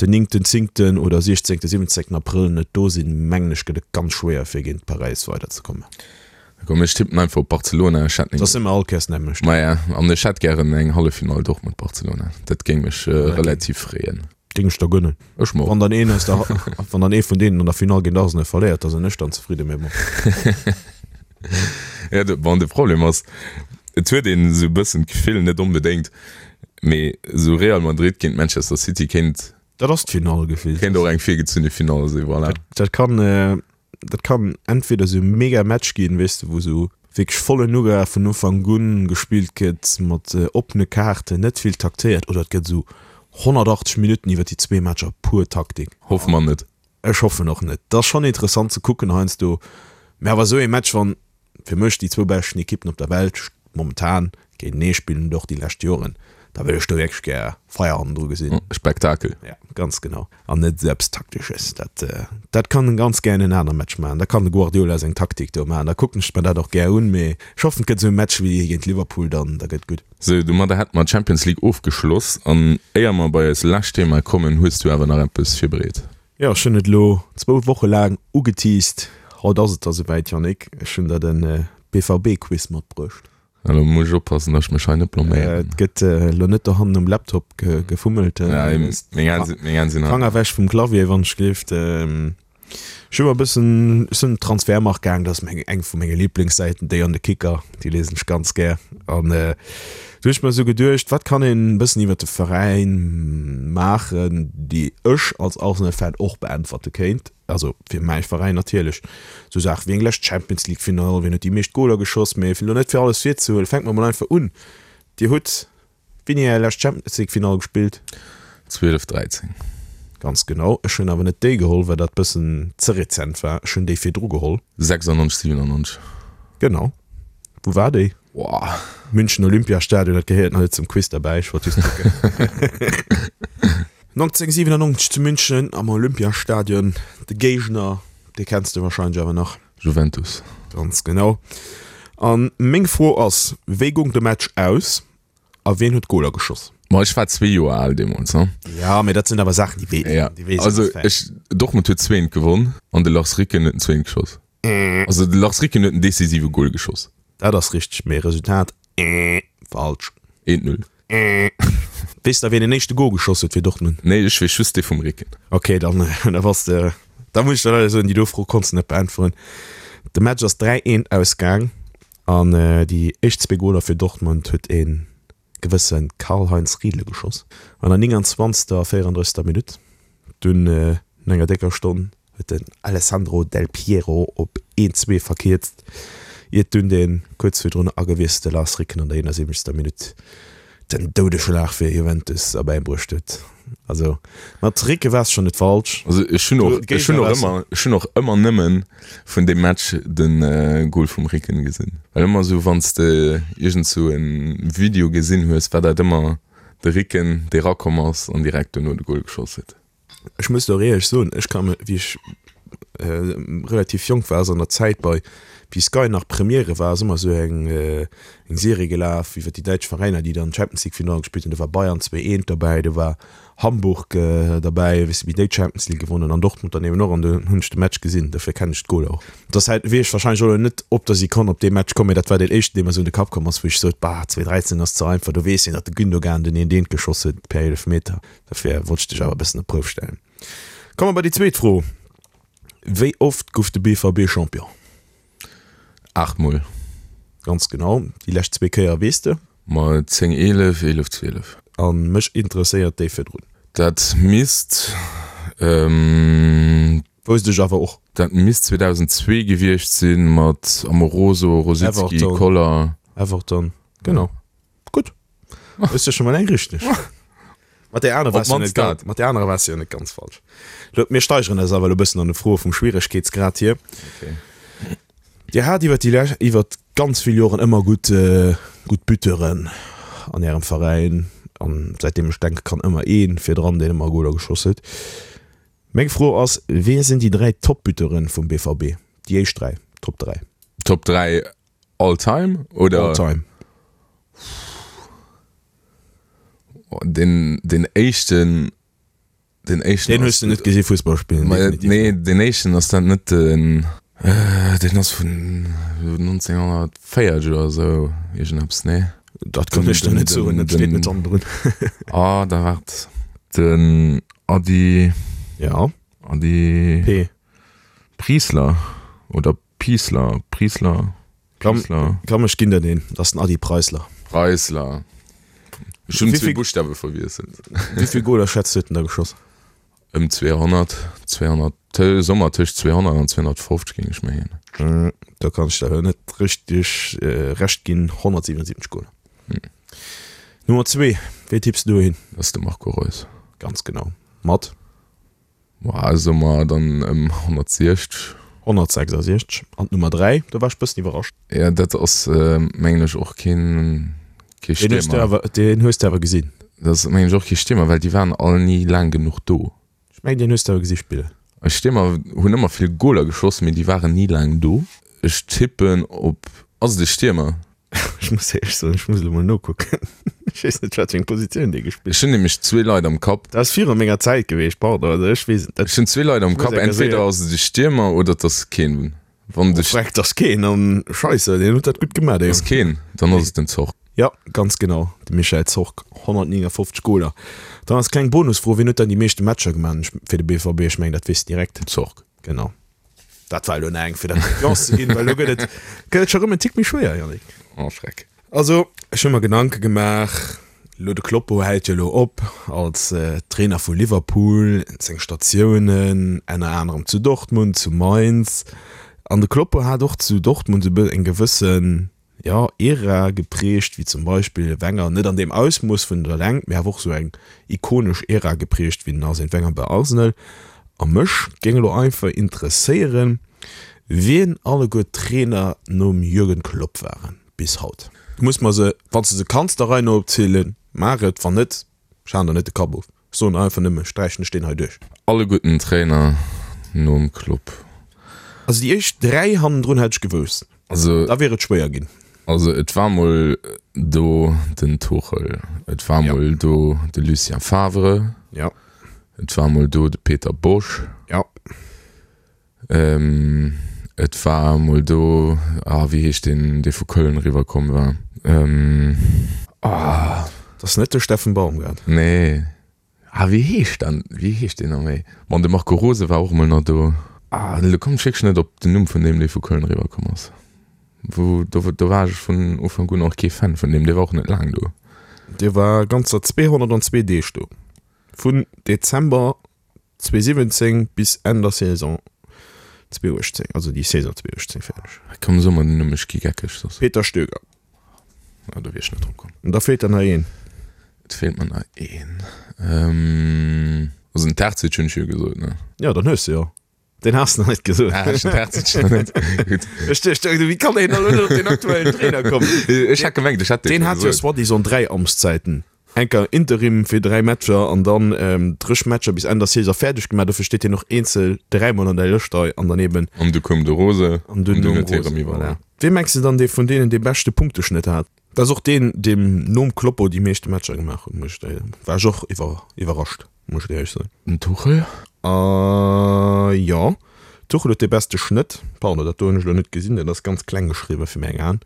den néngten, zéngten oder siechzéngten, siwwenzéngten Abrëll net do sinn, mengen ech gëtt et ganz schwéier fir géint Paräis weiderzekommen. Komm ech tippen einfach op Barcelona, ech hätt Da si mer all Kéiers d'nämmlecht. Maja, an ech hätt gären eng Halleffinall Dortmund-Barcelona, dat géing mech relativ freeën. Géing ech der gönnen. Ech mer och. Wann dann een aus der, wann dann ee vun deenen an der Finall géint Arsenal verléiert, da sinn ech dann zefridden, mee bon. Ja, de, bon, de Problem ass, et huet een esou e bëssen d'Gefill, net onbedéngt, mee esou Real Madrid géint Manchester City kéint. Dat ass d'Finall gefillt. Kéint och eng virgezunne Finall sinn, voilà. Dat, dat kann, dat kann entweder esou e mega Match ginn, weess de, wou esou wierklech vollen Nougat vun Ufank un gespillt gëtt, mat oppene Kaarten, net vill taktéiert, oder et gëtt esou honnertachtzeg Minutten iwwer déi zwee Matcher pur Taktik. Hoffe mer net. Ech hoffen och net. Et ass schonn interessant ze kucken heiansdo, mä awer esou ee Match, wann fir mech déi zwou beschten Ekippen op der Welt momentan géintenee spillen und och déi lescht Joren, da wëll ech do wierklech gär Feier hannendru gesinn. Spektakel. Ja, ganz genau. An net esou eppes Taktesches. Dat, dat kann en ganz gär en aner Match maachen. Da kann de Guardiola seng Taktik do maachen. Da kucken ech mer dat och gär un. Mee ech hoffen, et gëtt esou e Match wéi dee géint Liverpool dann, da gëtt gutt. Sou, domadder hätte mer d'Champions League ofgeschloss. An éier mer bei eist lescht Thema kommen, hues du awer nach eppes virbereet. Jo, ech hunn et elo zwou Woche laang ugeteased. Haut ass et da souwäit, Yannick. Ech hunn der de B V B-Quiz matbruecht. Elo muss ech oppassen, datt ech mech hei net blaméieren. Et gëtt elo net dohannen um Laptop gefummelt. Meng Hänn sinn, meng Hänn sinn hei. Fanger ewech vum Clavier, wann ech gleeft. Ech hu mer e bëssen, ech sinn op Transfermarkt gaang, dat ass meng, eng vu menge Liblingssäiten, déi an de Kicker, déi liesen ech ganz gär. An do hu ech mer esou geduecht, wat kann een e bëssen iwwer de Veräin maachen, déi ech als Arsenal-Fan och beäntwerte kéint, also fir mäi Veräin natierlech. Esou Saache wéi eng lescht Champions League-Finall, wien huet déi meescht Goler geschoss, mee fir elo net fir alles virzehuelen, fänke mer mol einfach un. Dir hutt wéini är lescht Champions League-Finall gespillt? zwielef dräizéng. Ganz genau. Ech hunn awer net déi geholl, well dat bëssen ze rezent war. Ech hunn déi virdru geholl. sechsundneunzeg, siebenundneunzeg. Genau. Wou war déi? Boah. München Olympiastadion, dat gehéiert nach net zum Quiz derbäi, ech wollt just kucken. neunzehnhundertsiebenundneunzeg zu München am Olympiastadion. De Géigner, dee kenns de wahrscheinlech awer nach. Juventus. Ganz genau. An meng Fro ass, wéi goung de Match aus a wien huet d'Goler geschoss? Ma ech war zwee Joer al deemools, ne? Ja, mee dat sinn awer Saachen, déi weess Ja, déi weess also een als Fan. ech, Dortmund huet zweent gewonn an de Lars Ricken huet den zweent geschoss. Also de Lars Ricken huet den decisive Goal geschoss. Dat ass richteg, mee Resultat, falsch. Eent Null. Weess de, wien den éischte Goal geschoss huet fir Dortmund? Nee, ech weess just dee vum Ricken. Ok, dann, da bass de, da muss ech der leider soen, déi do Fro konns de net beäntweren. De Match ass dräi eent ausgaang an déi éischt zwee Goaler fir Dortmund huet ee gewësse Karl-Heinz Riedle geschoss an der nénganzwanzegster a véierandrëssegster Minutt. Dunn no enger décker Stonn huet den Alessandro Del Piero op een zwee verkierzt, iert dunn de kuerz virdrun agewiesselte Lars Ricken an der eenasiwwenzegster Minutt den Doudeschlag fir Juventus erbäibruecht huet. Also mat Ricken waars schonn net falsch. Also ech hunn och, ech hunn och ëmmer, ech hunn och ëmmer nëmmen vun deem Match de Goal vum Ricken gesinn. Well ëmmer esou wann s de iergend sou e Video gesinn hues, war dat ëmmer de Ricken dee rakomm ass an direkt duerno de Goal geschoss huet. Ech muss der och éierlech soen, ech ka me, wéi ech relativ jonk war, ass an der Zäit bei, wéi Sky nach Premiere war, ass ëmmer esou eng eng Serie gelaf iwwer déi däitsch Veräiner, déi dann d'Champions League Finale gespillt hunn. Do war Bayern zwee eent derbäi, do war Hamburg derbäi, weess de, wéi déi d'Champions League gewonnen hunn an Dortmund dann eben och. An do hunn ech de Match gesinn, dofir kennen ech d'Goler och. Dass hätt, wier ech wahrscheinlech och elo net op der Sekonn op dee Match komm, mee dat war deen éischten, dee mer esou an de Kapp komm ass, wou ech sot, bah, zwee dräizéng ass ze einfach, do weess een, datt de Gündogan den eent eent geschoss huet per Eelefmeter. Dofir wollt ech dech awer e bëssen op d'Prouf stellen. Komme mer bei déi zweet Fro, Wéi oft gouf de B V B Champion? Aacht Mol. Ganz genau. Déi lescht zwee Kéier weess de? Ma zéng eelef, eelef zwielef. A mech interesséiert déi virdrun. Dat misst, ähm. Wousst ech awer och. Dat misst zweedausendzwee gewiescht sinn, mat Amoroso, Rosicky, Everton. Koller. Everton, genau. Gutt. Hues de scho mol eng richteg. Mat där aner waars du net ganz, mat där anerer waars du jo net ganz falsch. Lo, mir steigeren eis awer elo e bëssen an de Froe vum Schwieregkeetsgrad hier. Okay. Dir hat iwwer déi lech, iwwer ganz vill Joren ëmmer gutt, gutt Buteuren an Ärem Veräin. An säitdeem ech denke kann, ëmmer ee virdran, deen ëmmer Goler geschoss huet. Meng Fro ass, Wie sinn déi dräi Top-Buteuren vum B V B? Déi éischt dräi, Top dräi. Top dräi all time oder? All time. Den, den éischten, den éischten Den hues du net gesi Fussball spillen, Ma, definitiv. nee, den éischten ass dat net den, äh, den ass vun neunzehnhundertvéierzeg oder sou, iergendeppes, nee? Dat kann ech der net soen, dat steet net hannendrun. Ah, da waart. Den Adi. Ja. Adi. P. Priesler oder Piesler, Priesler, Komm, Piesler. komm, ech ginn der deen, dat ass den Adi Preisler. Preisler. Ech hunn Wéi zwee vill- Buschtawe verwiesselt. Wéi vill Goler schätzt du huet en da geschoss? Ëm zweehonnert, zweehonnert, tö, Sommer tëscht zweehonnert an zweehonnertfofzeg géing ech mengen. Mm, da kann ech der net richteg äh, Recht ginn, honnertsiwwenundsiwwenzeg Goler. Hm. Nummer zwee, wéi tipps du dohin? Dat ass de Marco Reus. Ganz genau. Mat? Boah, soe mer dann ëm honnertsiechzeg. honnertsechsasiechzeg. An d'Nummer dräi, do war ech bëssen iwwerrascht. Ja, dat ass, äh, mengen ech, och keen, kee Deen hues du Stiermer. awer, deen hues du awer gesinn. Dat ass, mengen ech, och kee Stiermer, well déi waren all ni laang genuch do. Ech mengen, deen hues du awer gesi spillen. Eis Stiermer hunn ëmmer vill Goler geschoss, mee déi waren ni laang do. Ech tippen op, ass et e Stiermer? Ech muss éierlech soen, ech muss elo mol nokucken. Ech weess net, wat fir eng Positioun dee gespillt Ech hunn nämlech zwee Leit am Kapp. Dat ass viru menger Zäit gewiescht, pardon, also ech weess et net. Ech hunn zwee Leit am Ech muss Kapp, enker entweder soen. ass et e Stiermer oder et ass keen. Wann de Oh, freck, et ass keen an Scheisse, deen huet dat gutt gemaach, dee Ass keen, dann ass et den Zorc. Ja, ganz genau, de Michael Zorc, honnertneunundfünfzig Goler. Dann als kleng Bonusfro, wien huet dann déi meeschte Matcher gemaach fir de B V B? Ech mengen, dat weess de direkt. Zorc. Genau. Dat war elo nach eng, fir der Confiance ze ginn, well elo gëtt et, gëtt et scho rëm en Tick méi schwéier, Yannick. Oh, Schreck. Also, ech hu mer Gedanke gemaach, elo de Kloppo hält jo elo op als Trainer vu Liverpool, seng Statiounen, enner anerem zu Dortmund, zu Mainz. An de Kloppo hat och zu Dortmund esou eng gewëssen, jo, Ära geprägt, wéi zum Beispill de Wenger, net an deem Ausmooss vun der Längt, mee awer och sou eng ikonesch Ära geprägt wéi den Arsène Wenger bei Arsenal. A mech géing elo einfach interesséieren, wien alleguer d'Trainer nom Jürgen Klopp waren bis haut. Du muss mer se, wann s de se kanns der Rei no opzielen, maach et, wann net, ech haen der net de Kapp of. Ech soen einfach nëmme, sträichen ech deen hei duerch. Alleguerten Trainer nom Klopp. Also déi éischt dräi hannendrun hätt ech gewousst. Also, Da wier et schwéier ginn. also et war mol do den Tuchel, et war Ja. mol do de Lucien Favre, Ja. et war mol do de Peter Bosz, Ja. ähm, et war mol do, ah, wéi heescht deen, dee vu Köln eriwwer komm war? Ähm, ah, Dat ass net de Steffen Baumgart. nee. Ah, wéi heescht dann, wéi heescht deen nach méi? Bon, de Marco Rose war och mol nach do. Ah, elo kommen ech wierklech net op den Numm vun deem, dee vu Köln eriwwer komm ass. Wou, do, do war ech vun Ufank un och kee Fan vun deem, dee war och net laang do. Dee war ganzer zweehonnertanzwee Deeg do. Vun Dezember zweesiwwenzéng bis Enn der Saison zweeuechtzéng, also déi Saison zweeuechtzéng fäerdeg. Komm, so mer den Numm, ech gi geckeg soss. Peter Stöger. Ah, do wier ech net drop komm. An da feelt der nach een. Et feelt mer nach een. Ähm, also den Terzic hunn ech jo gesot, ne? Jo, dann hues de jo. Deen has de nach net gesot. Ah, ech den Terzic nach net. Gutt. Ech duecht, wéi kann een elo net op den aktuellen Trainer kommen? Ech hat gemengt, ech hätt dee Deen scho hat jo gesot. soi-disant dräi Amtszäiten. Enker Interim fir dräi Matcher an dann dréch Matcher bis Enn der Saison fäerdeg gemaach. Dofir steet hien och eenzel dräimol an der Lëscht hei an dann eben. An du koum de Rose an dunn dunn nom huet hie Rose, erëm iwwerholl. voilà. Wee mengs de dann, dee vun deenen dee beschte Punkteschnëtt hat? Dat ass och deen, deem nom Kloppo déi meeschte Matcher gemaach huet, muss ech der, war ech och iwwer, iwwerrascht, muss ech dir éierlech soen. Den Tuchel? A jo, Tuchel huet dee beste Schnëtt. Pardon, dat do hunn ech elo net gesinn, dat ass ganz kleng geschriwwen fir meng Aen.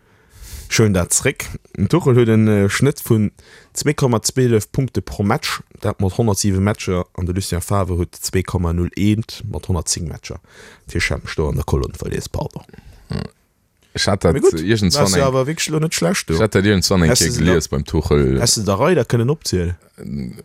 Ech huelen dat zréck. Den Tuchel huet e Schnëtt vun zwee Komma zwielef Punkte pro Match, dat mat honnertsiwe Matcher, an de Lucien Favre huet zwee Komma null eent mat honnertzéng Matcher. Dat heescht, ech hat mech do an der Kolonn verlies, pardon. Ech hat dat Mee gutt, iergendswann waars du eng, awer wierklech elo net schlecht do. ech hat dat iergendswann eng Häss Kéier de se da, gelies beim Tuchel. häss de der Rei da kënnen opzielen?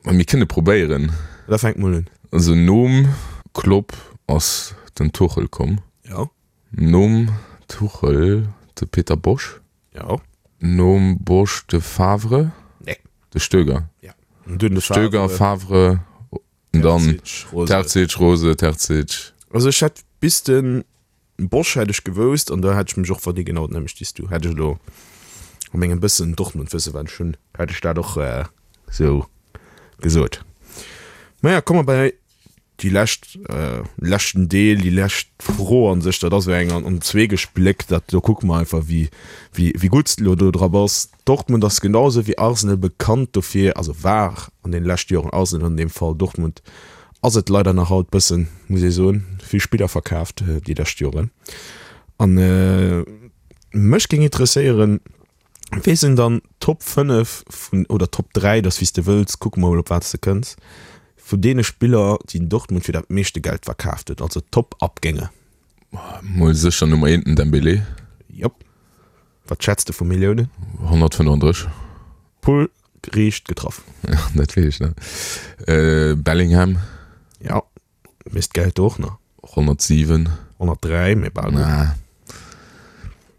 Ma mir kënne probéieren. Da fänk mol un. Also nom Klopp ass den Tuchel komm. Jo. Nom Tuchel de Peter Bosz. Jo. Nom Bosz de Favre. Nee. De Stöger. Ja. An dunn de Stöger, Favre. Favre, dann Terzic, Rose. Terzic, Rose, Terzic. Also ech hätt bis de Bosz hätt ech gewousst an da hätt ech mech och verdie genau d'nämmlecht wéi s du. Hätt ech elo a mengem bëssen Dortmund-Wësse wat ech hunn, hätt ech dat och esou gesot. Maja, komme mer bei déi lescht, leschten Deel, déi lescht Fro an sech, dat ass esou eng an, an zwee gespléckt, dat do kucke mer einfach wéi, wéi, wéi gutt s de elo do dra bass. Dortmund ass genau esou wéi Arsenal bekannt dofir, also war an deene leschte Joren Arsenal an deem Fall, Dortmund ass et leider nach haut bëssen, muss ee soen, vill Spiller verkaaft déi lescht Joren. An mech géing interesséieren, Wee sinn dann d'Top fënnef vun, oder Top dräi, dat ass wéi s de wëlls, kucke mer mol op wat s de kënns, vun deene Spiller, déi den Dortmund fir dat meeschte Geld verkaaft huet, also Top-Abgänge? Mol sécher Nummer eent den Dembélé. Jop. Wat schätz de vu Milliounen? honnertfënnefandrësseg. Pull riicht getraff. Ja, dat weess ech nach. Bellingham. Ja, weess d'Geld do och nach? honnertsiwen. honnertdräi, mee bal gutt. Na.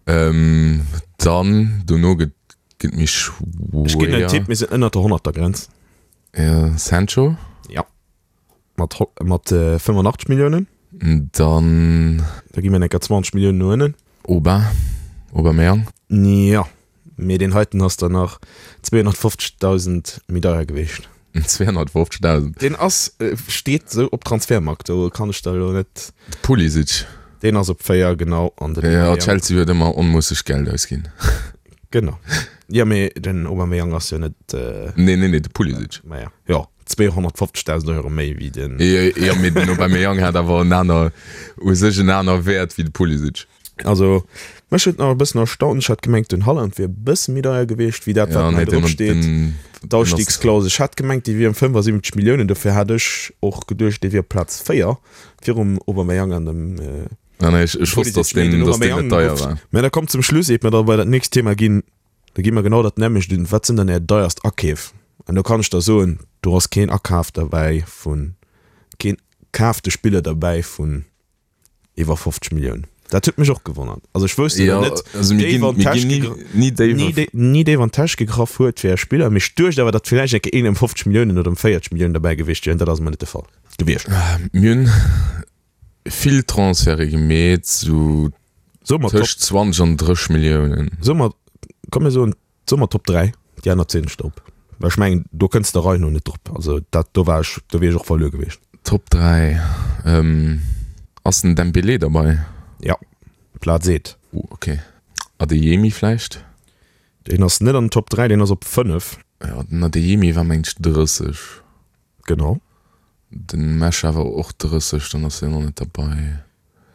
Ähm, dann dono gëtt gëtt méi schwéier. Ech ginn en Tipp, mir sinn ënnert der Honnertergrenz. Ja, Sancho. Ja. Mat mat fënnefundachtzeg Milliounen. Dann. Da gi mir enker zwanzeg Milliounen no ënnen. Auba, Aubameyang. Ja, mee deen heiten ass dann nach zweehonnertfofzegdausend méi deier gewiescht. zweehonnertfofzegdausend? Deen ass, steet esou op Transfermarkt, do kann ech der elo net. De Pulisic. Deen ass op véier, genau. An den Ja, Aubameyang. Chelsea huet ëmmer onmoosseg Geld ausginn. Genau. Ja, mee den Aubameyang ass jo net. Nee, nee, nee, de Pulisic. Maja, jo, zweehonnertfofzegdausend Euro méi wéi den. Jo, jo, mee den Aubameyang hat awer en aner, u sech en aner Wäert wéi de Pulisic. Also, mech huet nach e bëssen erstaunt, ech hat gemengt, den Haaland wier e bësse méi deier gewiescht wéi dat, wat Ja, hei nee, den, drop steet. den, D'Ausstiegsklausel, ech hat gemengt, déi wier ëm fënnefasiwwenzeg Milliounen, dofir hat ech och geduecht, dee wier op Plaz véier, virum Aubameyang an dem Ah, nee, ech, ech wosst, dass Pulisic. Mee den, den dass den Aubameyang net deier gouf. war. Mä da kommt zum Schluss, iert mer da bei dat nächst Thema ginn, da gi mer genau dat nämmlecht un, Wat sinn dann Är deierst Akeef? An do kann ech der soen, do ass keen Akaf derbäi vun, keen kaafte Spiller derbäi vun iwwer fofzeg Milliounen. Dat huet mech och gewonnert. Also ech wousst Ja, jo net, also mir déif ginn, an mir d'Täsch ginn ni, gegr- ni déif ni, auf- dé- ni déif an d'Täsch gegraff huet fir e Spiller. Mee ech duecht awer, datt villäicht eng Kéier een ëm fofzeg Milliounen oder ëm véierzeg Milliounen derbäi gewiescht wier. An dat ass emol net de Fall gewiescht. Mir hunn vill Transferte gemeet, sou Soe mer Top, tëscht zwanzeg an drësseg Milliounen. soe mer, komm mir soen, soe mer Top dräi, déi aner zielen ech der op. Well ech mengen, do kënns de Rei no net drop. Also dat, do war ech, do wier ech och verluer gewiescht. Top dräi, ähm, ass den Dembélé derbei? Ja, Plaz eent. Uh, okay. Adeyemi vläicht? Deen ass net an den Top dräi, deen ass op fënnef. Ja, den Adeyemi war mengt ech drësseg. Genau. Den Mescha war och drësseg, dann ass deen och net derbei.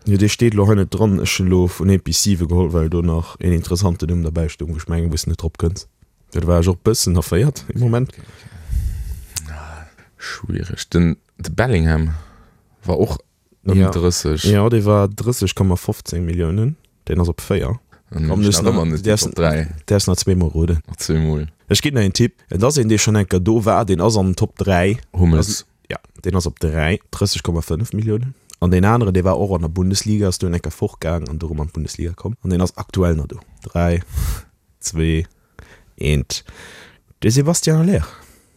Jo, dee steet elo hei net dran. Ech hunn elo vun eent bis siwe geholl, well do nach een interessanten Numm derbäi stoung, wou ech mengen, wou s de net drop kënns. Jo, do war ech och bëssen erféiert ee Moment. Schwiereg. Den de Bellingham war och ëm Ja. drësseg. Jo, dee war drësseg Komma fofzéng Milliounen. Deen ass op véier. Dann Komm, hunn ech du nach ëmmer net déi Top dräi. däerfs nach zweemol roden. Nach zweemol. Ech ginn der een Tipp, Et ass een, dee schonn eng Kéier do war, deen ass an den Top dräi. Hummels. Ja, deen ass op dräi, drësseg Komma fënnef Milliounen. An deen aneren, dee war och an der Bundesliga, ass dunn eng Kéier fortgaang an du erëm an d'Bundesliga komm. An deen ass aktuell nach do. Dräi, zwee, eent. De Sébastien Haller.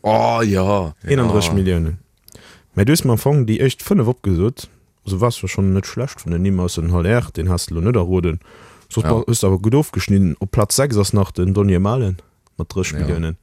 Oh ja! eenandrësseg Ja. Milliounen. Mä du hues mer am Fong déi éischt fënnef opgesot. Also waars jo schonn net schlecht vun den Nimm, ausser den Haller, deen has de elo net erroden. Soss Ja. hues de awer gutt ofgeschnidden. Op Plaz sechs ass nach den Donyell Malen mat drësseg Ja. Milliounen.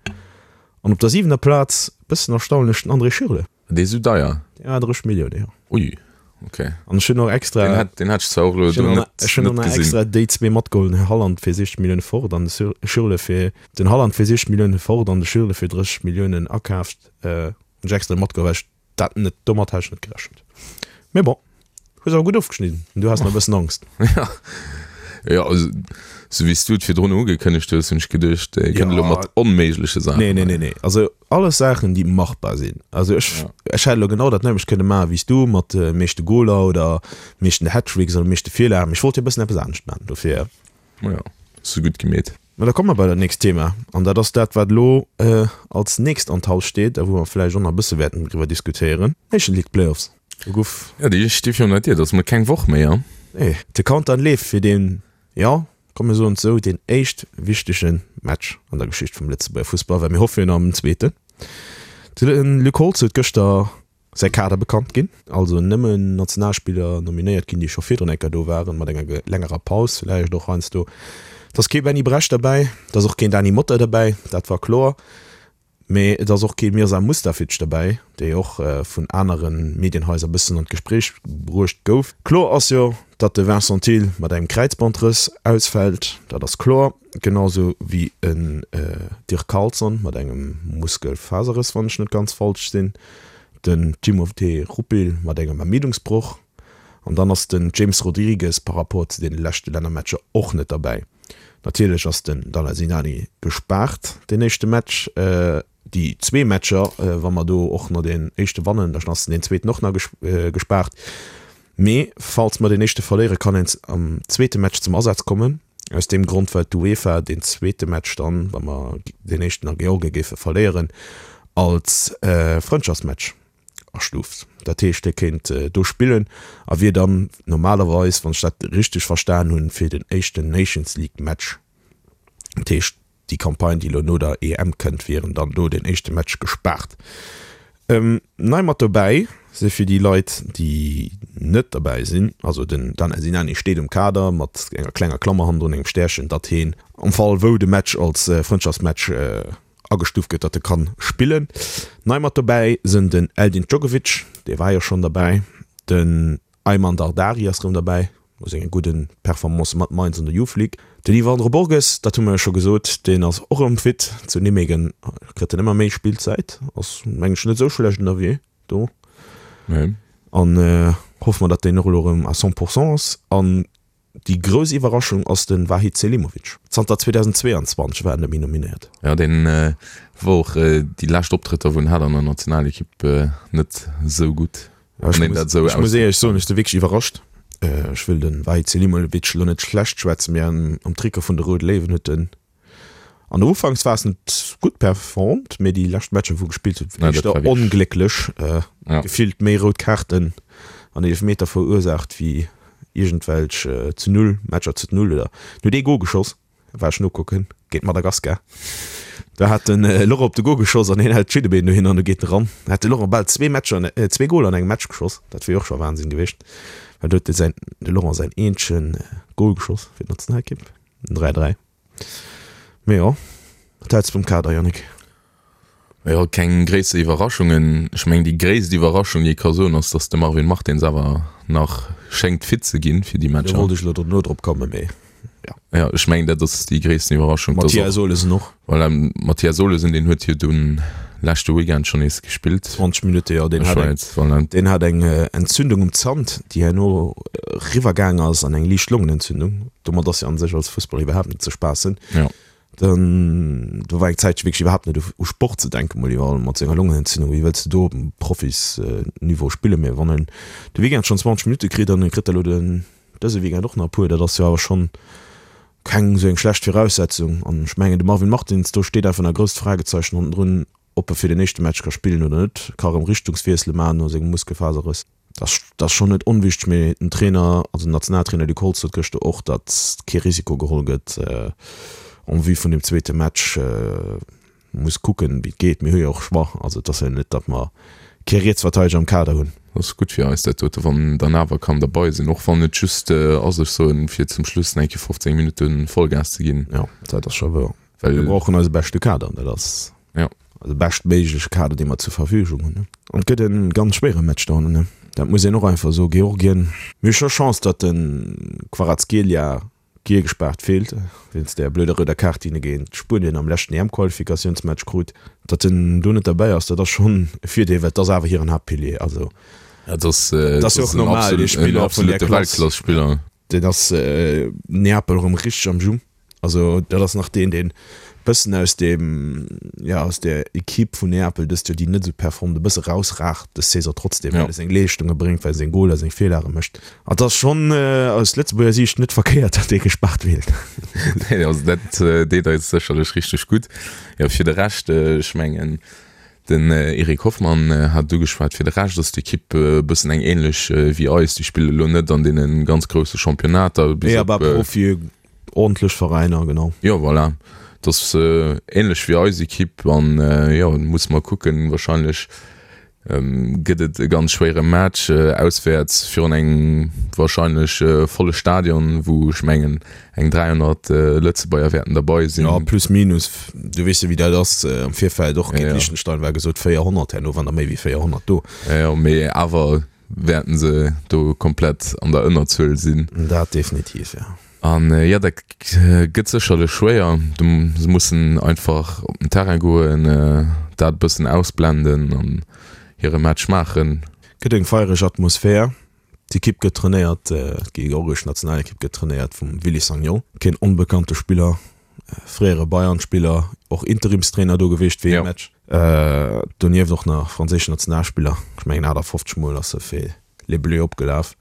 An op der siwener Plaz, bëssen erstaunlech, den André Schürrle. Dee ass esou deier? Ja, drësseg Milliounen, jo. Ui, okay. An ech hunn och extra. Deen hat, deen hat ech zwar och elo Ech hunn do och net, nach, ech hunn och net nach gesinn. extra déi zwee matgeholl, den Haaland fir siechzeg Millioune fort an de Sur- Schürrle fir, den Haaland fir siechzeg Millioune fort an de Schürrle fir drësseg Milliounen akaaft. Äh, hunn ech extra matgeholl, well ech dat net, domat hat ech net gerechent. Mee bon, hues awer gutt ofgeschnidden. Du has nach e bëssen Angst. Ja, ja also, sou wéi s du et virdrun ugekënnegt hues, hunn ech geduecht, e kënnt elo Ja. mat onméigleche Saachen. Nee, nee, nee, nee. Also alles Saachen, déi machbar sinn. Also ech, Ja. ech hätt elo genau dat nämmlecht kënne maachen, wéi s du, mat de meeschte Goler oder meeschten Hattricks oder meeschte Virlagen. Ech wollt jo e bëssen eppes anescht maachen, dofir. Ja, hues du gutt gemeet. Mä da komme mer bei dat nächst Thema. An dat ass dat, wat elo äh, als nächst an d'Haus steet a wou mer vläicht och nach e bësse wäerten driwwer diskutéieren. Nation League Playoffs. Do gouf. Ja, déi sti virun der Dier. Dat ass mol keng Woch méi, ja. Nee, de Countdown leeft fir deen, jo, komm mir soen et esou, deen éischt wichtege Match an der Geschicht vum Lëtzebuerger Fussball, well mir hoffe jo nach op en zweeten. De Luc Holtz huet gëschter säi Kader bekannt ginn, also nëmmen Nationalspiller nominéiert ginn, déi scho virdrun eng Kéier do waren, mat enger längerer Paus villäicht och heiansdo. Et ass kee Benny Bresch derbäi, et ass och keen Dany Motta derbäi, dat war kloer. Mee et ass och kee Mirza Mustafic derbäi, dee och vun anere Medienhaiser e bëssen an d'Gespréich bruecht gouf. Kloer ass jo, datt de Vincent Thill mat engem Kräizbandrëss ausfält, dat ass kloer, genau sou wéi en Dirk Carlson mat engem Muskelfaserrëss, wann ech net ganz falsch sinn, den Timothée Rupil mat engem Ermiddungsbroch an dann ass den James Rodrigues par rapport zu deene leschte Lännermatcher och net derbäi. Natierlech ass den Dalha Sinani gespaart deen éischte Match, déi zwee Matcher, wa mer do och nach deen éischte wannen, da ass deen zweeten och nach gespaart. Mee falls mer deen éischte verléieren, kann en am zweete Match zum Asaz kommen. Aus deem Grond, well d'UEFA deen zweete Match dann, wa mer deen éischten a Georgien géife verléieren, als Frëndschaftsmatch astuuft. Dat heescht, hie kéint do spillen a wier dann normalerweis, wann ech dat richteg verstan hunn, fir den éischten Nations League Match, dat heescht déi Campagne, déi elo no der E M kënnt, wieren dann do den éischte Match gespaart. Nei mat dobäi si fir déi Leit, déi net derbäi sinn, also den Dan Sinani steet um Kader mat enger klenger Klammer hannendrun, engem Stärchen, datt heen am Fall wou de Match als Frëndschaftsmatch agestuuft gëtt, datt e kann spillen. Nei mat dobäi sinn den Eldin Dzogovic, dee war jo schonn derbäi, den Ayman Dardari ass rëm derbäi, no senge gudde Performancë mat Mainz an der Youth League. Den Yvandro Borges, dat hu mer jo scho gesot, deen ass och erëm fit. Zu Nimegen kritt en ëmmer méi Spillzäit, ass meng ech net esou schlecht ënnerwee do. Nee. An hoffe mer, datt deen och elo erëm à cent pour cent ass. An déi grouss Iwwerraschung ass de Vahid Selimovic. Zanter zweedausendzweeanzwanzeg war en net méi nominéiert. Jo, deen war och déi lescht Optrëtter, wou en hat an der Nationalekipp, net esou gutt. Ech muss éierlech soen, ech si wierklech iwwerrascht. Ech wëll de Vahid Selimovic elo net schlecht schwätzen, mee am Trikot vun de Roude Léiwen huet en an der Ufanksphas net gutt performt, mee déi lescht Matcher, wou e gespillt huet, éischter onglécklech. Gefillt méi rout Kaarten an Eelefmeter verursaacht wéi iergendwelch zu null Matcher zu null oder en huet ee Gol geschoss, war ech nokucken, géint Madagaskar. Do hat den Laurent op de Gol geschoss an hien hält d'Schiddebeen dohin an du geet en eran. Da hat de Laurent bal zwee Matcher, zwee Goler an engem Match geschoss. Dat wier och scho Wahnsinn gewiescht, well do huet de säin, de Laurent säin eenzege Gol geschoss fir d'Nationalekipp, den dräi dräi. Mee jo, wat häls de vum Kader, Yannick? Jo, keng gréisser Iwwerraschungen. Ech mengen, déi gréisst Iwwerraschung, déi ee ka soen, ass, datt de Marvin Martins awer nach schéngt fit ze ginn fir déi Matcher. Do wollt ech elo dono drop kommen, mee jo. Jo, ech mengen, dat ass déi gréissten Iwwerraschung. Mathias Olesen och. Voilà, Mathias Olesen, deen huet jo dunn leschte Weekend schonn nees gespillt. zwanzeg Minutte, jo. Deen hat eng, voilà. Deen hat eng Entzündung um Zant, déi herno eriwwergaang ass an eng liicht Longenentzündung. Domat ass jo an sech als Fussballer iwwerhaapt net ze spaassen. Jo. Dann, do war eng Zäitche wierklech iwwerhaapt net u Sport ze denken, mol iwwerall mat senger Longenentzündung, wéi wëlls de do op Profisniveau spillen? Mee wann en de Weekend schonn zwanzeg Minutte kritt an e kritt elo den dëse Weekend och nach e puer, dat ass jo awer schonn keng esou eng schlecht Viraussetzung. An ech mengen, de Marvin Martins, do steet einfach nach e grousst Fragezeichen hannendrun, ob e fir den éischte Match ka spillen oder net, ka erëm Richtungswiessele maachen no sengem Muskelfaserrëss. Dat ass schonn net onwichteg, mee den Trainer, also den Nationaltrainer Luc Holtz sot gëschter och, datt kee Risiko geholl gëtt en vue vun deem zweete Match. Muss kucken, wéi et geet. Mir hu jo och Choix, also et ass jo net, datt mer kee Rietsverteideger am Kader hunn. Dat ass gutt fir eis dat dote, wann dann awer kann derbei sinn, och wann et just ass, ech soen, fir zum Schluss nach eng Kéier fofzéng Minutte Vollgas ze ginn. Jo, dat ass scho wouer. Well mir brauchen eise beschte Kader, dat ass ja. de beschtméigleche Kader, dee mer zur Verfügung hunn. An et gëtt e ganz schwéiere Match do hannen, dat muss een och einfach soen. Georgien, mir hu scho Chance, datt de Kvaratskhelia giel gespaart feelt, wéinst där blöder rouder Kaart, déi en géint Spuenien am leschten E M-Qualifikatiounsmatch krut. Datt en do net derbäi ass, dat ass schonn e Virdeel, well et ass awer hiren Haaptpilier. Also dat ass jo och normal, dee Spiller vun där Klass. Weltklass-Spiller. Deen ass Neapel erëm richteg am Jus. Also dat ass nach deen, deen bëssen aus deem, jo, aus där Equipe vun Neapel dëst Joer, déi net esou performt, e bësse rausragt dës Saison trotzdem, well e seng Leeschtunge bréngt, well e seng Goler, seng Virlage mécht. An et ass schonn aus Lëtzebuerger Siicht net verkéiert, datt dee gespaart feelt. Nee, also dat deet eis sécherlech richteg gutt. Jo, fir de Rescht, ech mengen, Den Eric Hoffmann hat et ugeschwat, fir de Rescht ass d'Ekipp e bëssen eng änlech wéi eis. Déi spille lo net an deene ganz grousse Championnater. Bis op. Awer Profi, ordentlech Veräiner, genau. Jo, voilà. Et ass änlech wéi eis Ekipp an jo, musse mer kucken. Warscheinlech gëtt et e ganz schwéiere Match auswäerts virun engem wahrscheinlech volle Stadion, wou ech mengen eng dräihonnert Lëtzebuerger wäerten derbei sinn. Jo, plus minus, du weess jo wéi dat ass, am Virfeld och géint Liechtenstein war gesot véierhonnert, herno waren der méi wéi véierhonnert do. Jo, mee awer wäerten se do komplett an der Ënnerzuel sinn. Dat definitiv, jo. An jo, dat gëtt sécherlech schwéier. Se mussen einfach op den Terrain goen, dat e bëssen ausblenden an hire Match maachen. Gëtt eng feiereg Atmosphär. D'Ekipp gëtt trainéiert, d'georgesch Nationalekipp gëtt trainéiert vum Willy Sagnol, keen onbekannte Spiller, fréiere Bayern-Spiller, och Interimstrainer do gewiescht fir ee Match. Donieft och nach franséischen Nationalspiller, ech mengen aachtafofzeg Mol ass e fir Les Bleus opgelaf.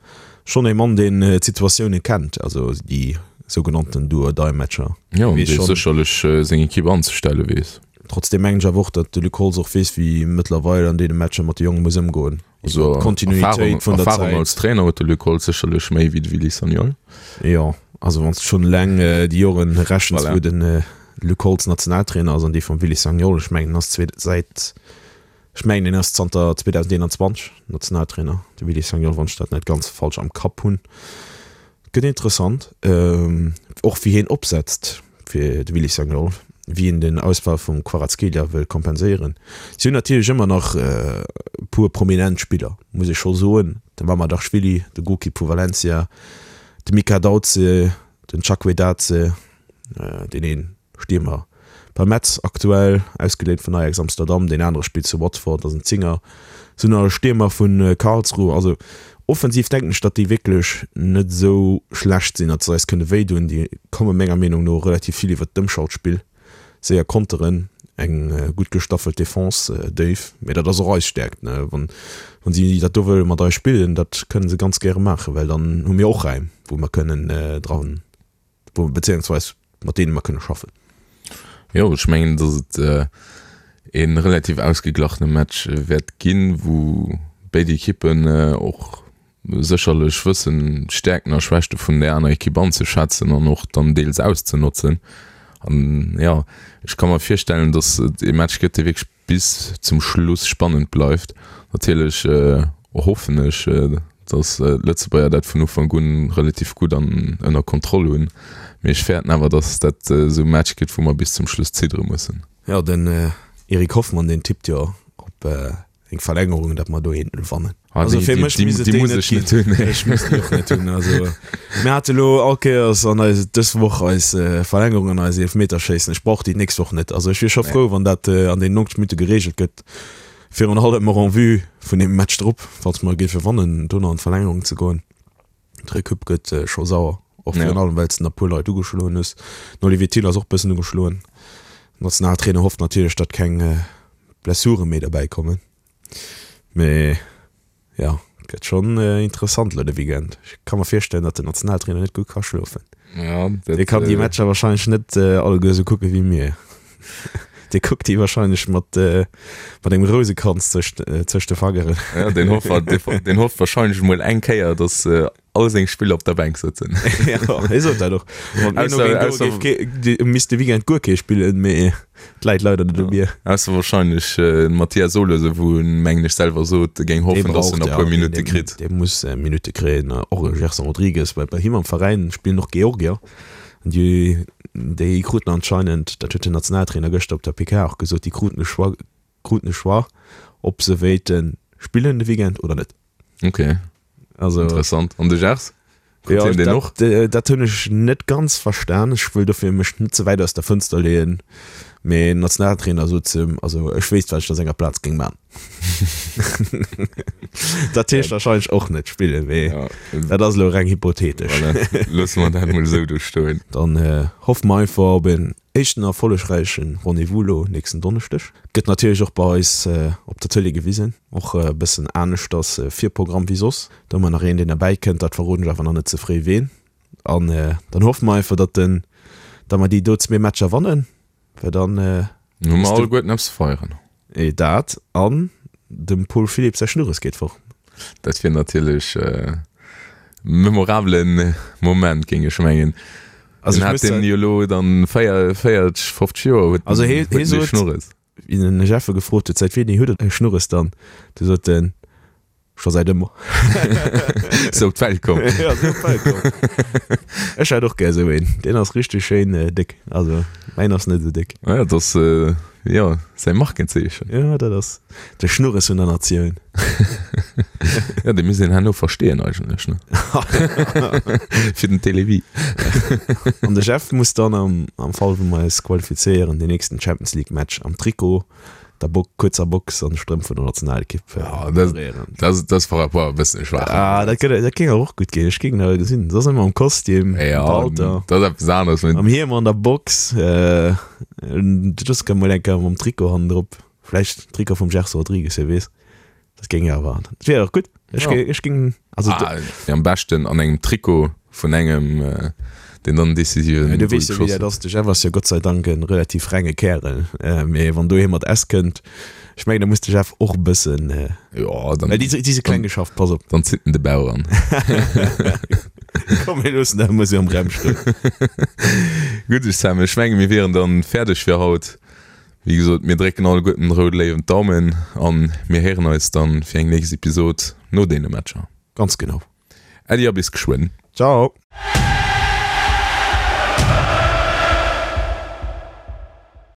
Schonn ee Mann, deen d'Situatioune kennt, also déi sougenannten Do-or-Die-Matcher. Jo, an dee sécherlech seng Ekipp anzestelle weess. Trotzdeem mengen ech awer och, datt de Luc Holtz och weess, wéi mëttlerweil an deene Matcher mat de Jonge muss ëmgoen. Also D'Kontinuitéit vun der Zäit. Erfahrung als Trainer huet de Luc Holtz sécherlech méi wéi de Willy Sagnol. Jo, also wann s de schonn eleng déi Joren rechens, wou de Luc Holtz Nationaltrainer ass an déi vum Willy Sagnol, ech mengen en ass zwee säit, ech mengen en ass zanter zweedausendeenanzwanzeg Nationaltrainer, de Willy Sagnol, wann ech dat net ganz falsch am Kapp hunn. Gëtt interessant, och wéi hien opsetzt fir de Willy Sagnol, wéi en den Ausfall vum Kvaratskhelia wëll kompenséieren. Si hunn natierlech ëmmer nach e puer prominent Spiller, muss ee scho soen, de Mamardashvili, de Golkipp vu Valencia, de Mika Dautze, den Chakvetadze, deen een Stiermer bei Metz aktuell, ausgeléint vun Ajax Amsterdam, deen anere spillt zu Watford, ass en Zinger, sinn nach e Stiermer vu Karlsruhe. Also offensiv denken ech, datt déi wierklech net esou schlecht sinn, datt se eis kënne wéi doen. Déi komme menger Meenung no relativ vill iwwert d'Ëmschaltspill, séier Konteren, eng gutt gestaffelt Defense, déif, mee dat ass och eis Stäerkt. Wann si dat do wëlle mat eis spillen, dat kënne se ganz gäre maachen, well dann hu mir och Räim, wou mer kënnen dran, beziéungsweis mat deene mer kënne schaffen. Jo, ech mengen, datt et e relativ ausgeglachene Match wäert ginn, wou béid Ekippen och sécherlech wëssen d'Stäerkten a Schwächte vun där aner Ekipp anzeschätzen an och dann deels auszenotzen. An jo, ech ka mer virstellen, datt et ee Match gëtt, dee wierklech bis zum Schluss spannend bleift. Natierlech hoffen ech, datt d'Lëtzebuerger dat vun Ufank un relativ gutt an ënner Kontroll hunn, mee ech fäerten awer, datt dat esou e Match gëtt, wou mer bis zum Schluss ziddere mussen. Jo, den Eric Hoffmann, deen tippt jo op eng Verlängerung, datt mer do een gewannen. Ah, Also déi, fir déi, mech déi, misst et déi déi muss net ech net ginn. hunn. Ech muss déi och net hunn. Also mir hate lo all Kéiers an eis dës Woch eis Verlängerung an eis Eelefmeterschéissen. Ech brauch déi d'nächst Woch net. Also ech wier scho Nee. frou, wann dat an den neunzeg Minutte gereegelt gëtt. Virun allem och en vue vun deem Match drop, falls mer géife wannen, do nach an d'Verlängerung ze goen. D'Recup gëtt scho sauer, och Ja. virun allem well s de nach e puer Leit ugeschloen hues. Den Olivier Thill ass och bëssen ugeschloen. Den Nationaltrainer hofft natierlech, datt keng Blessure méi derbäi kommen. Mee jo, gëtt schonn interessant elo de Weekend. Ech ka mer virstellen, datt den Nationaltrainer net gutt ka schlofen. Ja, dat, Dee kann déi äh, Matcher wahrscheinlech net alleguer esou kucke wéi mir. Dee kuckt déi wahrscheinlech mat, mat engem Rousekranz tëscht, tëscht de Fangeren. Ja, deen hofft, deen hofft wahrscheinlech emol eng Kéier, datt all seng Spiller op der Bänk sëtzen. Ja, hie sot dat och. Wann mir Ausser, no ausser, géint do géif ke, misst de Weekend guer kee spillen, mee et läit leider net u mir. Ausser wahrscheinlech den Mathias Olesen, wou en, mengen ech, selwer sot, e géing Dee hoffen, datt braucht, en e ja, puer deen, Minutte deen, kritt. dee muss Minutte kréien. Och e Gerson Rodrigues, well bei him am Veräin spillen och Georgier. An déi, déi kruten anscheinend, dat huet den Nationaltrainer gëschter op der P K och gesot, déi kruten e Choix, kruten e Choix, ob se wéilte spillen de Weekend oder net. Ok, Also, interessant. An de Gers? Krut ja, hien deen dat, och? dat hunn ech net ganz verstan. Ech wëll dofir mech net ze wäit aus der Fënster leeën, mee den Nationaltrainer sot zu him, also ech wéisst, wat ech a senger Plaz géing man. Dat heescht wahrscheinlech och net spillen, mee Ja, dat ass elo reng hypothetesch. voilà. Loosse mer dat mol esou do stoen. Dann hoffe mer einfach op en éischten erfollegräiche Rendez-vous elo nächsten Donneschdeg. Gëtt natierlech och bei eis op der Tëlee gewisen. Och e bëssen aneschters Virprogramm wéi soss. Do hu mer nach een, deen derbäi kënnt, dat verroden ech awer nach net ze fréi ween. An dann hoffe mer einfach, datt den, datt mer déi do zwee Matcher wannen, well dann Hu mer ass de alleguerten eppes ze feieren. Dat an dem Paul Philipp säi Schnurres geet fort. Dat wier natierlech e memorabelen Moment, géing ech mengen. Also Den ech hat muss den jo elo dann véier, véierteg, fofzeg Joer huet Also den, hee, huet hee den dee sot, Schnurres. wéi den Jeffe gefrot huet, säit wéini huet en e Schnurres dann, du sot en, scho säit ëmmer. Sou op d'Welt komm. Ja, sou op d'Welt komm. Ech hätt och gär sou een. Deen ass richteg schéin déck. Also mäin ass net sou déck. Ja, dat ass jo säi Markenzeechen. Ja, dat ass de Schnurres vun der Natioun. Ja, dee misst een herno versteeën eigentlech, ne? Fir den Télévie. An de Jeff muss dann am, am Fall wou mer eis qualifizéieren, den nächsten Champions League Match am Trikot, der Bo kuerzer Box an de Strëmp vun der Nationalekipp Ja, dat, moderéieren. dat, dat ass par rapport e bëssen schwaach. Ah, dat gëtt, dat géing awer och gutt ginn. Ech géing dat gesinn. Soss ëmmer am Kostüm, Ja, am Palter. dat ass eppes aneres. Am Hiem an der Box. Äh, just kann mol eng Kéier mam Trikot hannendrop. Vläicht Trikot vum Gerson Rodrigues, wie weess. Dat géing awer, dat wier och gutt. Ech Ja. géing, ech géing, also Ah, am beschten an engem Trikot vun engem, äh, deen dann decisiven Ja, du Goal weess jo, wéi geschoss dat huet. ass. De Jeff ass jo Gott sei Dank e relativ renge Kärel. Äh, mee wann do ee mat S kënnt, ech mengen, da muss de Jeff och e bëssen, äh, Ja, dann, well déi, déi si kleng geschafft, pass op. dann zitt en de Bauch an. Komm, mir loossen dat emol esou am Raum stoen. Gutt, Sam, ech menge mir wieren dann fäerdeg fir haut. Wéi gesot, mir drécken alleguerten den Roud Léiwen d'Daumen an mir héieren eis dann fir eng nächst Episod no deene Matcher. Ganz genau. Äddi a bis geschwënn. Ciao.